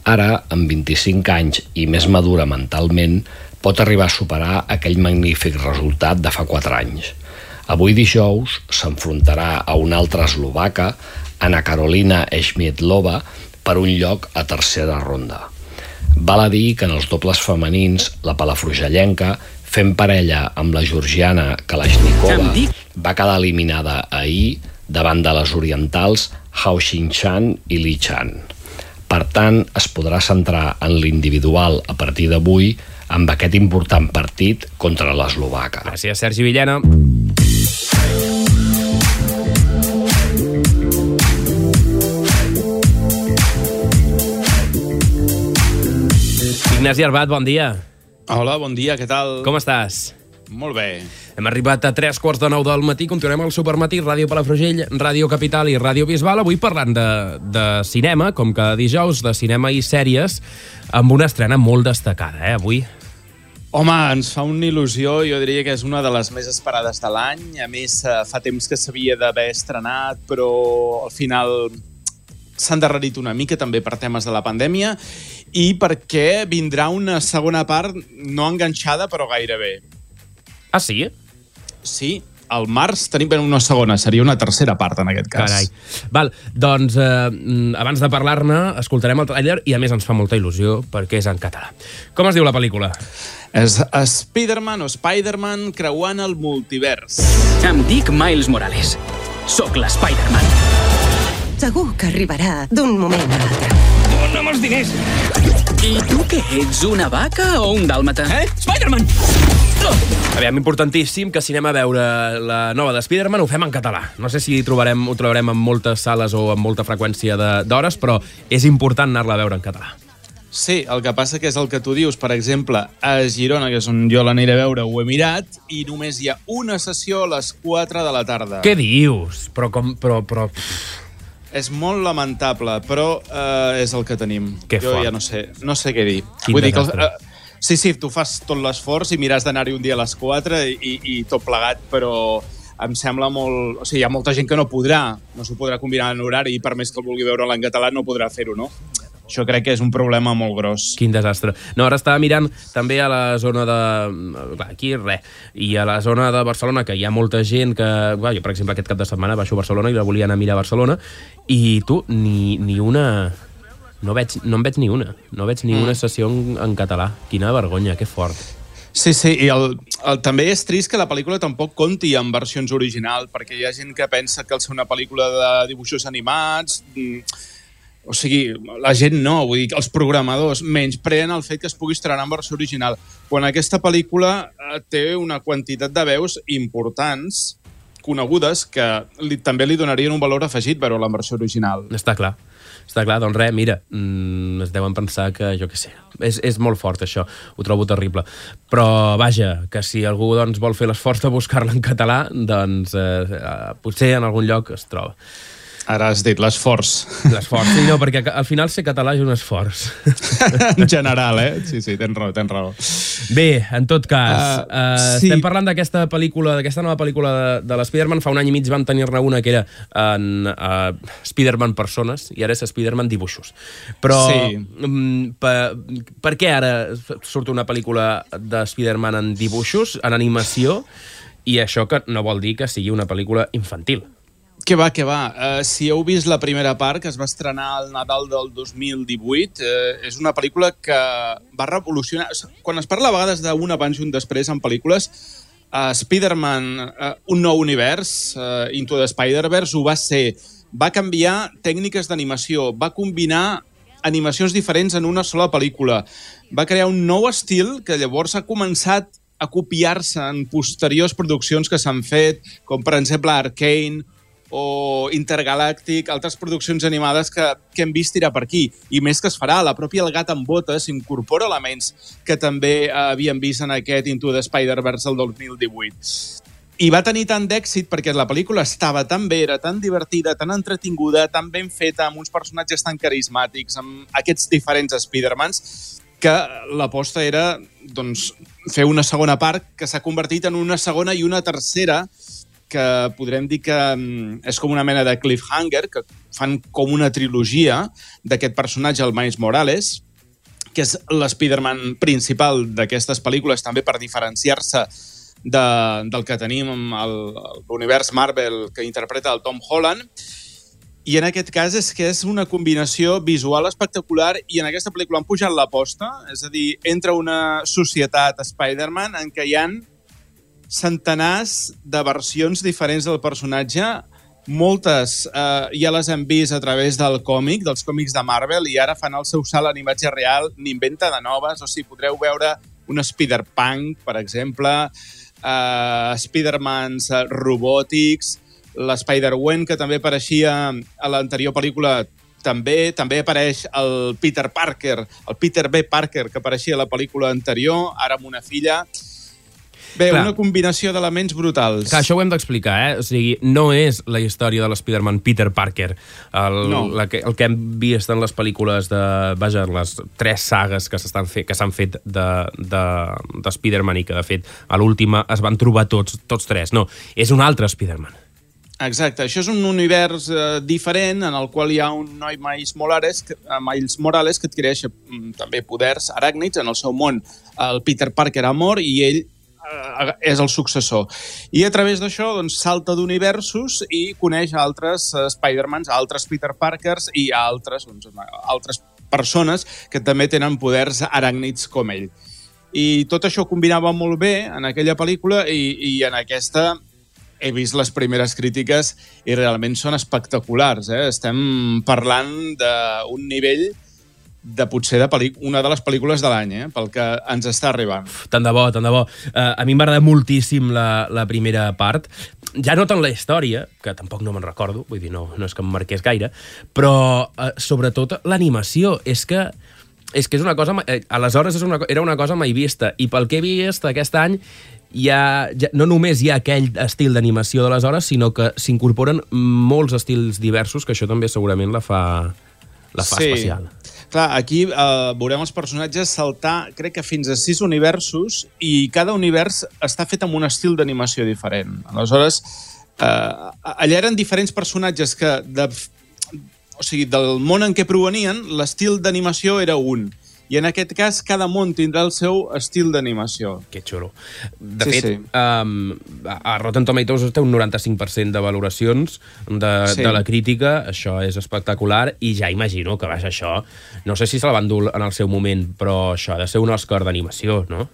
Ara, amb 25 anys i més madura mentalment, pot arribar a superar aquell magnífic resultat de fa 4 anys. Avui dijous s'enfrontarà a una altra eslovaca, Anna Karolina Schmiedlova, per un lloc a tercera ronda. Val a dir que en els dobles femenins, la palafrugellenca, fent parella amb la georgiana Kalashnikova, va quedar eliminada ahir davant de les orientals Hao Xin-chan i Li Chan. Per tant, es podrà centrar en l'individual a partir d'avui amb aquest important partit contra l'eslovaca. Gràcies, Sergi Villena. Ignasi Arbat, bon dia. Hola, bon dia, què tal? Com estàs? Molt bé. Hem arribat a 3:45 del matí, continuem al Supermatí, Ràdio Palafrugell, Ràdio Capital i Ràdio Bisbal, avui parlant de cinema, com cada dijous, de cinema i sèries, amb una estrena molt destacada, avui. Home, ens fa una il·lusió, jo diria que és una de les més esperades de l'any, a més fa temps que s'havia d'haver estrenat, però al final s'ha endarrerit una mica també per temes de la pandèmia i perquè vindrà una segona part no enganxada però gairebé. Ah, sí? Sí, al març tenim una segona, seria una tercera part en aquest cas. Carai. Val, doncs abans de parlar-ne escoltarem el tràiler i a més ens fa molta il·lusió perquè és en català. Com es diu la pel·lícula? És Spider-Man o Spider-Man creuant el multivers. Em dic Miles Morales. Soc l'Spider-Man. Segur que arribarà d'un moment a l'altre. Dona'm els diners! I tu què ets, una vaca o un dàlmata? Spider-Man! Aviam, importantíssim que si anem a veure la nova de Spider-Man ho fem en català. No sé si ho trobarem en moltes sales o amb molta freqüència d'hores, però és important anar-la a veure en català. Sí, el que passa que és el que tu dius. Per exemple, a Girona, que és on jo l'aniré a veure, ho he mirat, i només hi ha una sessió a les 4 de la tarda. Què dius? Però... És molt lamentable, però és el que tenim. Que jo fort. Ja no sé què dir. Quin Vull dir que desastre. sí, tu fas tot l'esforç i miràs d'anar-hi un dia a les 4 i tot plegat, però em sembla molt... O sigui, hi ha molta gent que no s'ho podrà combinar en horari i per més que el vulgui veure en català no podrà fer-ho, no? Això crec que és un problema molt gros. Quin desastre. No, ara estava mirant també a la zona de... Aquí, res. I a la zona de Barcelona, que hi ha molta gent que... Jo, per exemple, aquest cap de setmana baixo a Barcelona i la volia anar a mirar a Barcelona, i tu, ni una... No en veig ni una. No veig ni una sessió en català. Quina vergonya, que fort. Sí, i també és trist que la pel·lícula tampoc compti amb versions originals, perquè hi ha gent que pensa que al ser una pel·lícula de dibuixos animats... O sigui, la gent no, vull dir que els programadors menyspreen el fet que es pugui estrenar en versió original. Quan aquesta pel·lícula té una quantitat de veus importants, conegudes, que també li donarien un valor afegit veure-la en versió original. Està clar, doncs res, mira, es deuen pensar que, jo què sé, és molt fort això, ho trobo terrible. Però, vaja, que si algú doncs, vol fer l'esforç de buscar-la en català, doncs potser en algun lloc es troba. Ara has dit l'esforç. L'esforç, sí, no, perquè al final ser català és un esforç. En general, Sí, tens raó. Bé, en tot cas, sí. Estem parlant d'aquesta nova pel·lícula de l'Spider-Man. Fa un any i mig vam tenir-ne una que era en Spider-Man persones i ara és Spider-Man dibuixos. Però sí. Per què ara surt una pel·lícula de Spider-Man en dibuixos, en animació, i això que no vol dir que sigui una pel·lícula infantil? Que va. Si heu vist la primera part, que es va estrenar al Nadal del 2018, és una pel·lícula que va revolucionar... Quan es parla a vegades d'un abans i un després en pel·lícules, Spider-Man, un nou univers, Into the Spider-Verse, ho va ser va canviar tècniques d'animació, va combinar animacions diferents en una sola pel·lícula, va crear un nou estil que llavors ha començat a copiar-se en posteriors produccions que s'han fet, com per exemple Arcane o Intergalàctic, altres produccions animades que hem vist tirar per aquí. I més que es farà, la pròpia El gat amb botes incorpora elements que també havíem vist en aquest Into the Spider-Verse del 2018. I va tenir tant d'èxit perquè la pel·lícula estava tan bé, era tan divertida, tan entretinguda, tan ben feta, amb uns personatges tan carismàtics, amb aquests diferents Spider-Mans, que l'aposta era doncs, fer una segona part que s'ha convertit en una segona i una tercera, que podrem dir que és com una mena de cliffhanger, que fan com una trilogia d'aquest personatge, el Miles Morales, que és l'Spider-Man principal d'aquestes pel·lícules, també per diferenciar-se del que tenim amb l'univers Marvel que interpreta el Tom Holland. I en aquest cas és que és una combinació visual espectacular i en aquesta pel·lícula han pujat l'aposta, és a dir, entra una societat Spider-Man en què hi ha centenars de versions diferents del personatge. Moltes ja les hem vist a través del còmic, dels còmics de Marvel, i ara fan el seu salt a l'imatge real, n'inventa de noves, o sigui, podreu veure un Spider-Punk, per exemple, Spider-Mans robòtics, l'Spider-Gwen, que també apareixia a l'anterior pel·lícula, també apareix el Peter Parker, el Peter B. Parker, que apareixia a la pel·lícula anterior, ara amb una filla. Bé, clar, una combinació d'elements brutals. Clar, això ho hem d'explicar, O sigui, no és la història de l'Spider-Man Peter Parker. El que hem vist en les pel·lícules vaja, les 3 sagues que s'han fet de Spider-Man i que, de fet, a l'última es van trobar tots 3. No, és un altre Spider-Man. Exacte, això és un univers diferent en el qual hi ha un noi Miles Morales que adquireix també poders aràcnids. En el seu món el Peter Parker ha mort i ell és el successor. I a través d'això doncs, salta d'universos i coneix altres Spider-Mans, altres Peter Parkers i altres persones que també tenen poders aràcnids com ell. I tot això combinava molt bé en aquella pel·lícula i en aquesta he vist les primeres crítiques i realment són espectaculars. Estem parlant d'un nivell de potser una de les pel·lícules de l'any, pel que ens està arribant. Tant de bo, tant de bo. A mi m'agrada moltíssim la primera part. Ja no tant la història, que tampoc no me'n recordo, vull dir, no és que em marqués gaire, però sobretot l'animació. És que és una cosa... Aleshores era una cosa mai vista, i pel que he vist aquest any no només hi ha aquell estil d'animació d'aleshores, sinó que s'incorporen molts estils diversos, que això també segurament la fa especial. Clar, aquí veurem els personatges saltar, crec que fins a 6 universos, i cada univers està fet amb un estil d'animació diferent. Aleshores, allà eren diferents personatges que, o sigui, del món en què provenien, l'estil d'animació era un. I en aquest cas, cada món tindrà el seu estil d'animació. Que xulo. De fet, a Rotten Tomatoes té un 95% de valoracions de la crítica. Això és espectacular i ja imagino que baix això. No sé si se'l van dur en el seu moment, però això ha de ser un Òscar d'animació, no?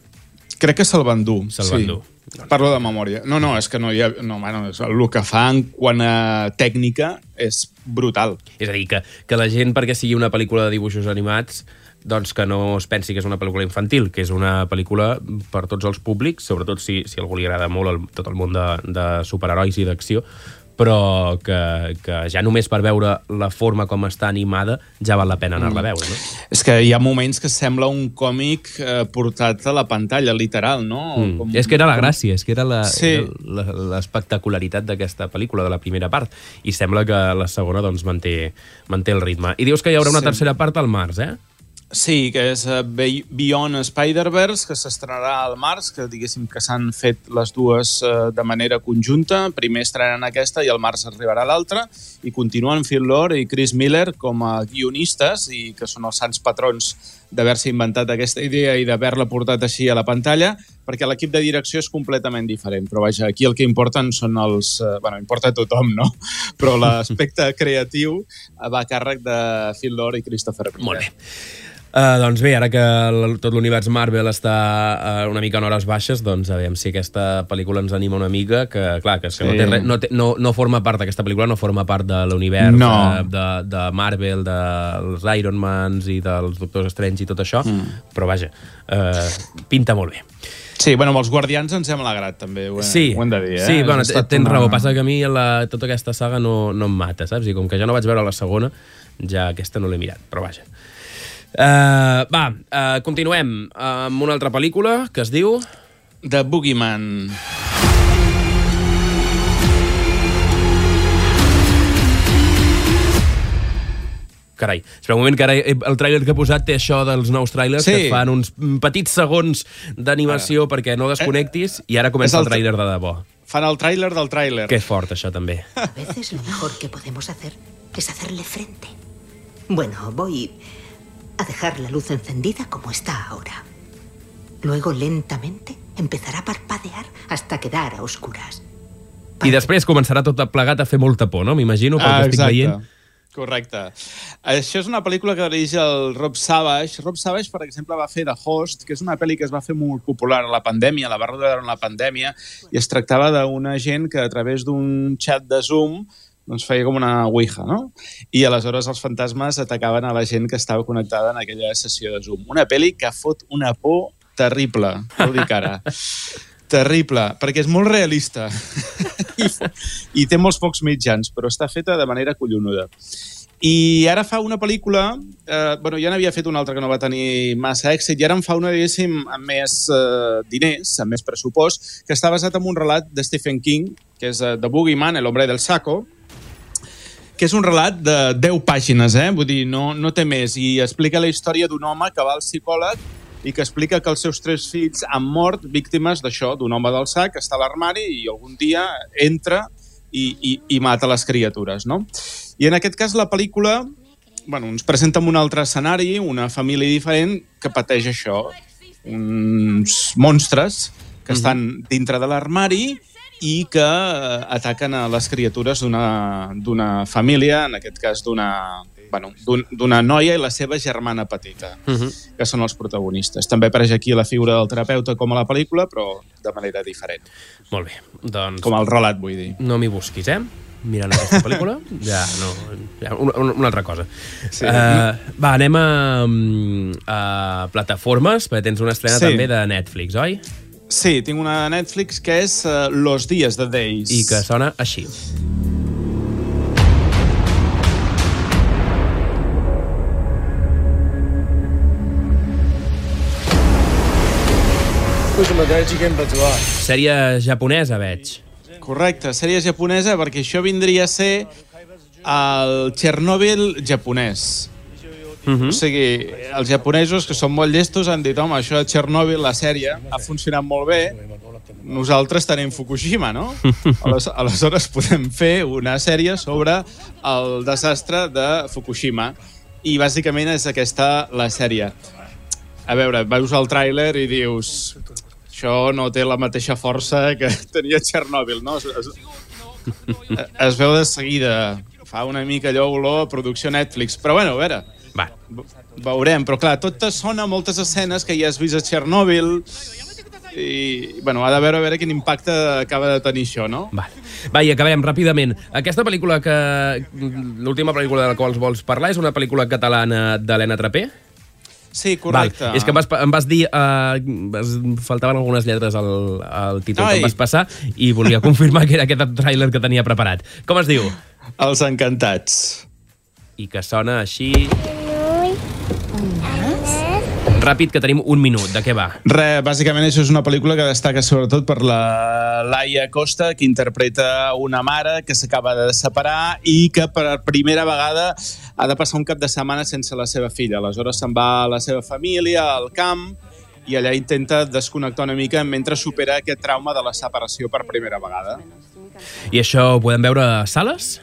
Crec que se'l van dur. Parlo de memòria. No, és que no hi ha... el que fan quant a tècnica és brutal. És a dir, que la gent, perquè sigui una pel·lícula de dibuixos animats, doncs que no es pensi que és una pel·lícula infantil, que és una pel·lícula per tots els públics, sobretot si a algú li agrada molt tot el món de superherois i d'acció, però que ja només per veure la forma com està animada ja val la pena anar-la a veure, no? És que hi ha moments que sembla un còmic portat a la pantalla, literal, no? És que era la gràcia, és que era l'espectacularitat d'aquesta pel·lícula, de la primera part, i sembla que la segona doncs manté el ritme. I dius que hi haurà una tercera part al març, Sí, que és Beyond Spider-Verse, que s'estrenarà al març, que diguéssim que s'han fet les dues de manera conjunta. Primer estrenen aquesta i al març arribarà l'altra, i continuen Phil Lord i Chris Miller com a guionistes, i que són els sants patrons d'haver-se inventat aquesta idea i d'haver-la portat així a la pantalla, perquè l'equip de direcció és completament diferent. Però vaja, aquí el que importen són els... importa a tothom, no? Però l'aspecte creatiu va a càrrec de Phil Lord i Christopher Miller. Molt bé. Doncs bé, ara que tot l'univers Marvel està una mica en hores baixes, doncs a veure si aquesta pel·lícula ens anima una mica, que clar, que, és que no forma part d'aquesta pel·lícula, no forma part de l'univers de Marvel, dels Iron Mans i dels Doctors Strange i tot això, però vaja, pinta molt bé. Sí, bueno, amb els Guardians ens hem alegrat, també, ho hem de dir. Sí, bueno, tens raó, passa que a mi tota aquesta saga no em mata, saps? I com que ja no vaig veure la segona, ja aquesta no l'he mirat, però vaja. Continuem amb una altra pel·lícula que es diu... The Boogeyman. Carai, espera un moment, que ara el tràiler que he posat té això dels nous tràilers que et fan uns petits segons d'animació perquè no desconnectis i ara comença el tràiler de debò. Fan el tràiler del tràiler. Que fort, això, també. A veces lo mejor que podemos hacer es hacerle frente. Bueno, voy a dejar la luz encendida como está ahora. Luego, lentamente, empezará a parpadear hasta quedar a oscuras. I després començarà tot plegat a fer molta por, no? M'imagino, pel que estic veient. Correcte. Això és una pel·lícula que dirigeix el Rob Savage. Rob Savage, per exemple, va fer The Host, que és una pel·li que es va fer molt popular a la pandèmia, la va rodar en la pandèmia, i es tractava d'una gent que a través d'un xat de Zoom doncs feia com una ouija, no? I aleshores els fantasmes atacaven a la gent que estava connectada en aquella sessió de Zoom. Una pel·li que fot una por terrible, ho dic ara. Terrible, perquè és molt realista i té molts pocs mitjans, però està feta de manera collonuda. I ara fa una pel·lícula, ja n'havia fet una altra que no va tenir massa èxit, i ara en fa una, diguéssim, amb més diners, amb més pressupost, que està basat en un relat de Stephen King, que és The Boogeyman, el hombre del saco, que és un relat de 10 pàgines, vull dir, no té més, i explica la història d'un home que va al psicòleg i que explica que els seus 3 fills han mort víctimes d'això, d'un home del sac que està a l'armari i algun dia entra i mata les criatures, no? I en aquest cas la pel·lícula ens presenta en un altre escenari, una família diferent que pateix això, uns monstres que estan dintre de l'armari i que ataquen a les criatures d'una família, en aquest cas d'una noia i la seva germana petita, que són els protagonistes. També apareix aquí la figura del terapeuta com a la pel·lícula, però de manera diferent. Molt bé, doncs... Com el relat, vull dir. No m'hi busquis, mirant aquesta pel·lícula, una altra cosa. Sí. Anem a plataformes, perquè tens una estrena també de Netflix, oi? Sí, tinc una de Netflix que és Los Días, The Days. I que sona així. Sèrie japonesa, veig. Correcte, sèrie japonesa, perquè això vindria a ser el Chernobyl japonès. O sigui, els japonesos, que són molt llestos, han dit, home, això de Chernobyl, la sèrie, ha funcionat molt bé, nosaltres tenim Fukushima, no? Aleshores podem fer una sèrie sobre el desastre de Fukushima. I bàsicament és aquesta la sèrie. A veure, veus el tràiler i dius, això no té la mateixa força que tenia Chernobyl, no? Es veu de seguida, fa una mica allò olor a producció Netflix, però bueno, a veure, veurem, però clar, tot sona moltes escenes que ja has vist a Chernobyl i, ha de veure quin impacte acaba de tenir això, no? Va, i acabem ràpidament. Aquesta pel·lícula l'última pel·lícula de la qual vols parlar és una pel·lícula catalana d'Helena Trapé? Sí, correcte. És que em vas dir... faltaven algunes lletres al títol que em vas passar i volia confirmar que era aquest tràiler que tenia preparat. Com es diu? Els Encantats. I que sona així... Ràpid, que tenim un minut. De què va? Bàsicament això és una pel·lícula que destaca sobretot per la Laia Costa, que interpreta una mare que s'acaba de separar i que per primera vegada ha de passar un cap de setmana sense la seva filla. Aleshores se'n va a la seva família, al camp, i allà intenta desconnectar una mica mentre supera aquest trauma de la separació per primera vegada. I això ho podem veure a sales?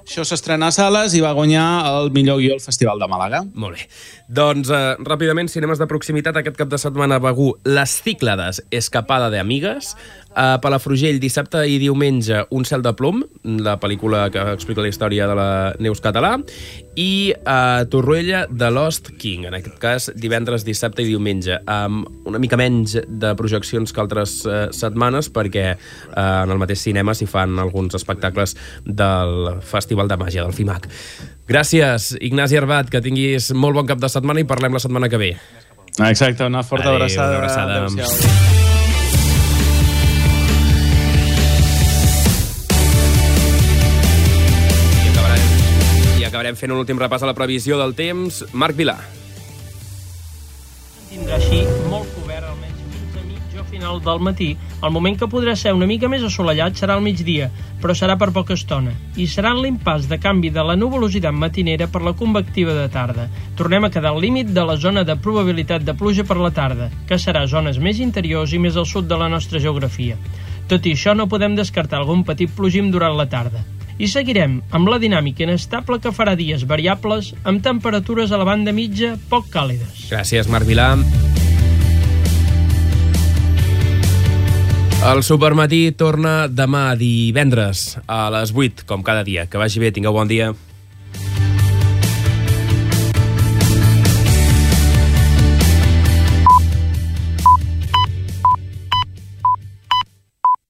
Això s'estrena a sales i va guanyar el millor guió al Festival de Màlaga. Molt bé. Doncs, ràpidament, cinemes de proximitat. Aquest cap de setmana a Begur, Les Cíclades, Escapada de Amigues. A Palafrugell, dissabte i diumenge, Un cel de plom, la pel·lícula que explica la història de la Neus Català, i Torroella de Lost King, en aquest cas divendres, dissabte i diumenge, amb una mica menys de projeccions que altres setmanes, perquè en el mateix cinema s'hi fan alguns espectacles del Festival de Màgia, del FIMAC. Gràcies, Ignasi Arbat, que tinguis molt bon cap de setmana i parlem la setmana que ve. Exacte, una forta abraçada. Una abraçada. Adéu-siau. Acabarem fent un últim repàs a la previsió del temps. Marc Vilà. Tindrà així molt cobert, almenys fins a mitja o final del matí. El moment que podrà ser una mica més assolellat serà al migdia, però serà per poca estona. I serà en l'impàs de canvi de la nuvolositat matinera per la convectiva de tarda. Tornem a quedar al límit de la zona de probabilitat de pluja per la tarda, que serà zones més interiors i més al sud de la nostra geografia. Tot i això, no podem descartar algun petit plogim durant la tarda. I seguirem amb la dinàmica inestable que farà dies variables amb temperatures a la banda mitja poc càlides. Gràcies, Marc Vilà. El Supermatí torna demà divendres a les 8, com cada dia. Que vagi bé, tingueu bon dia.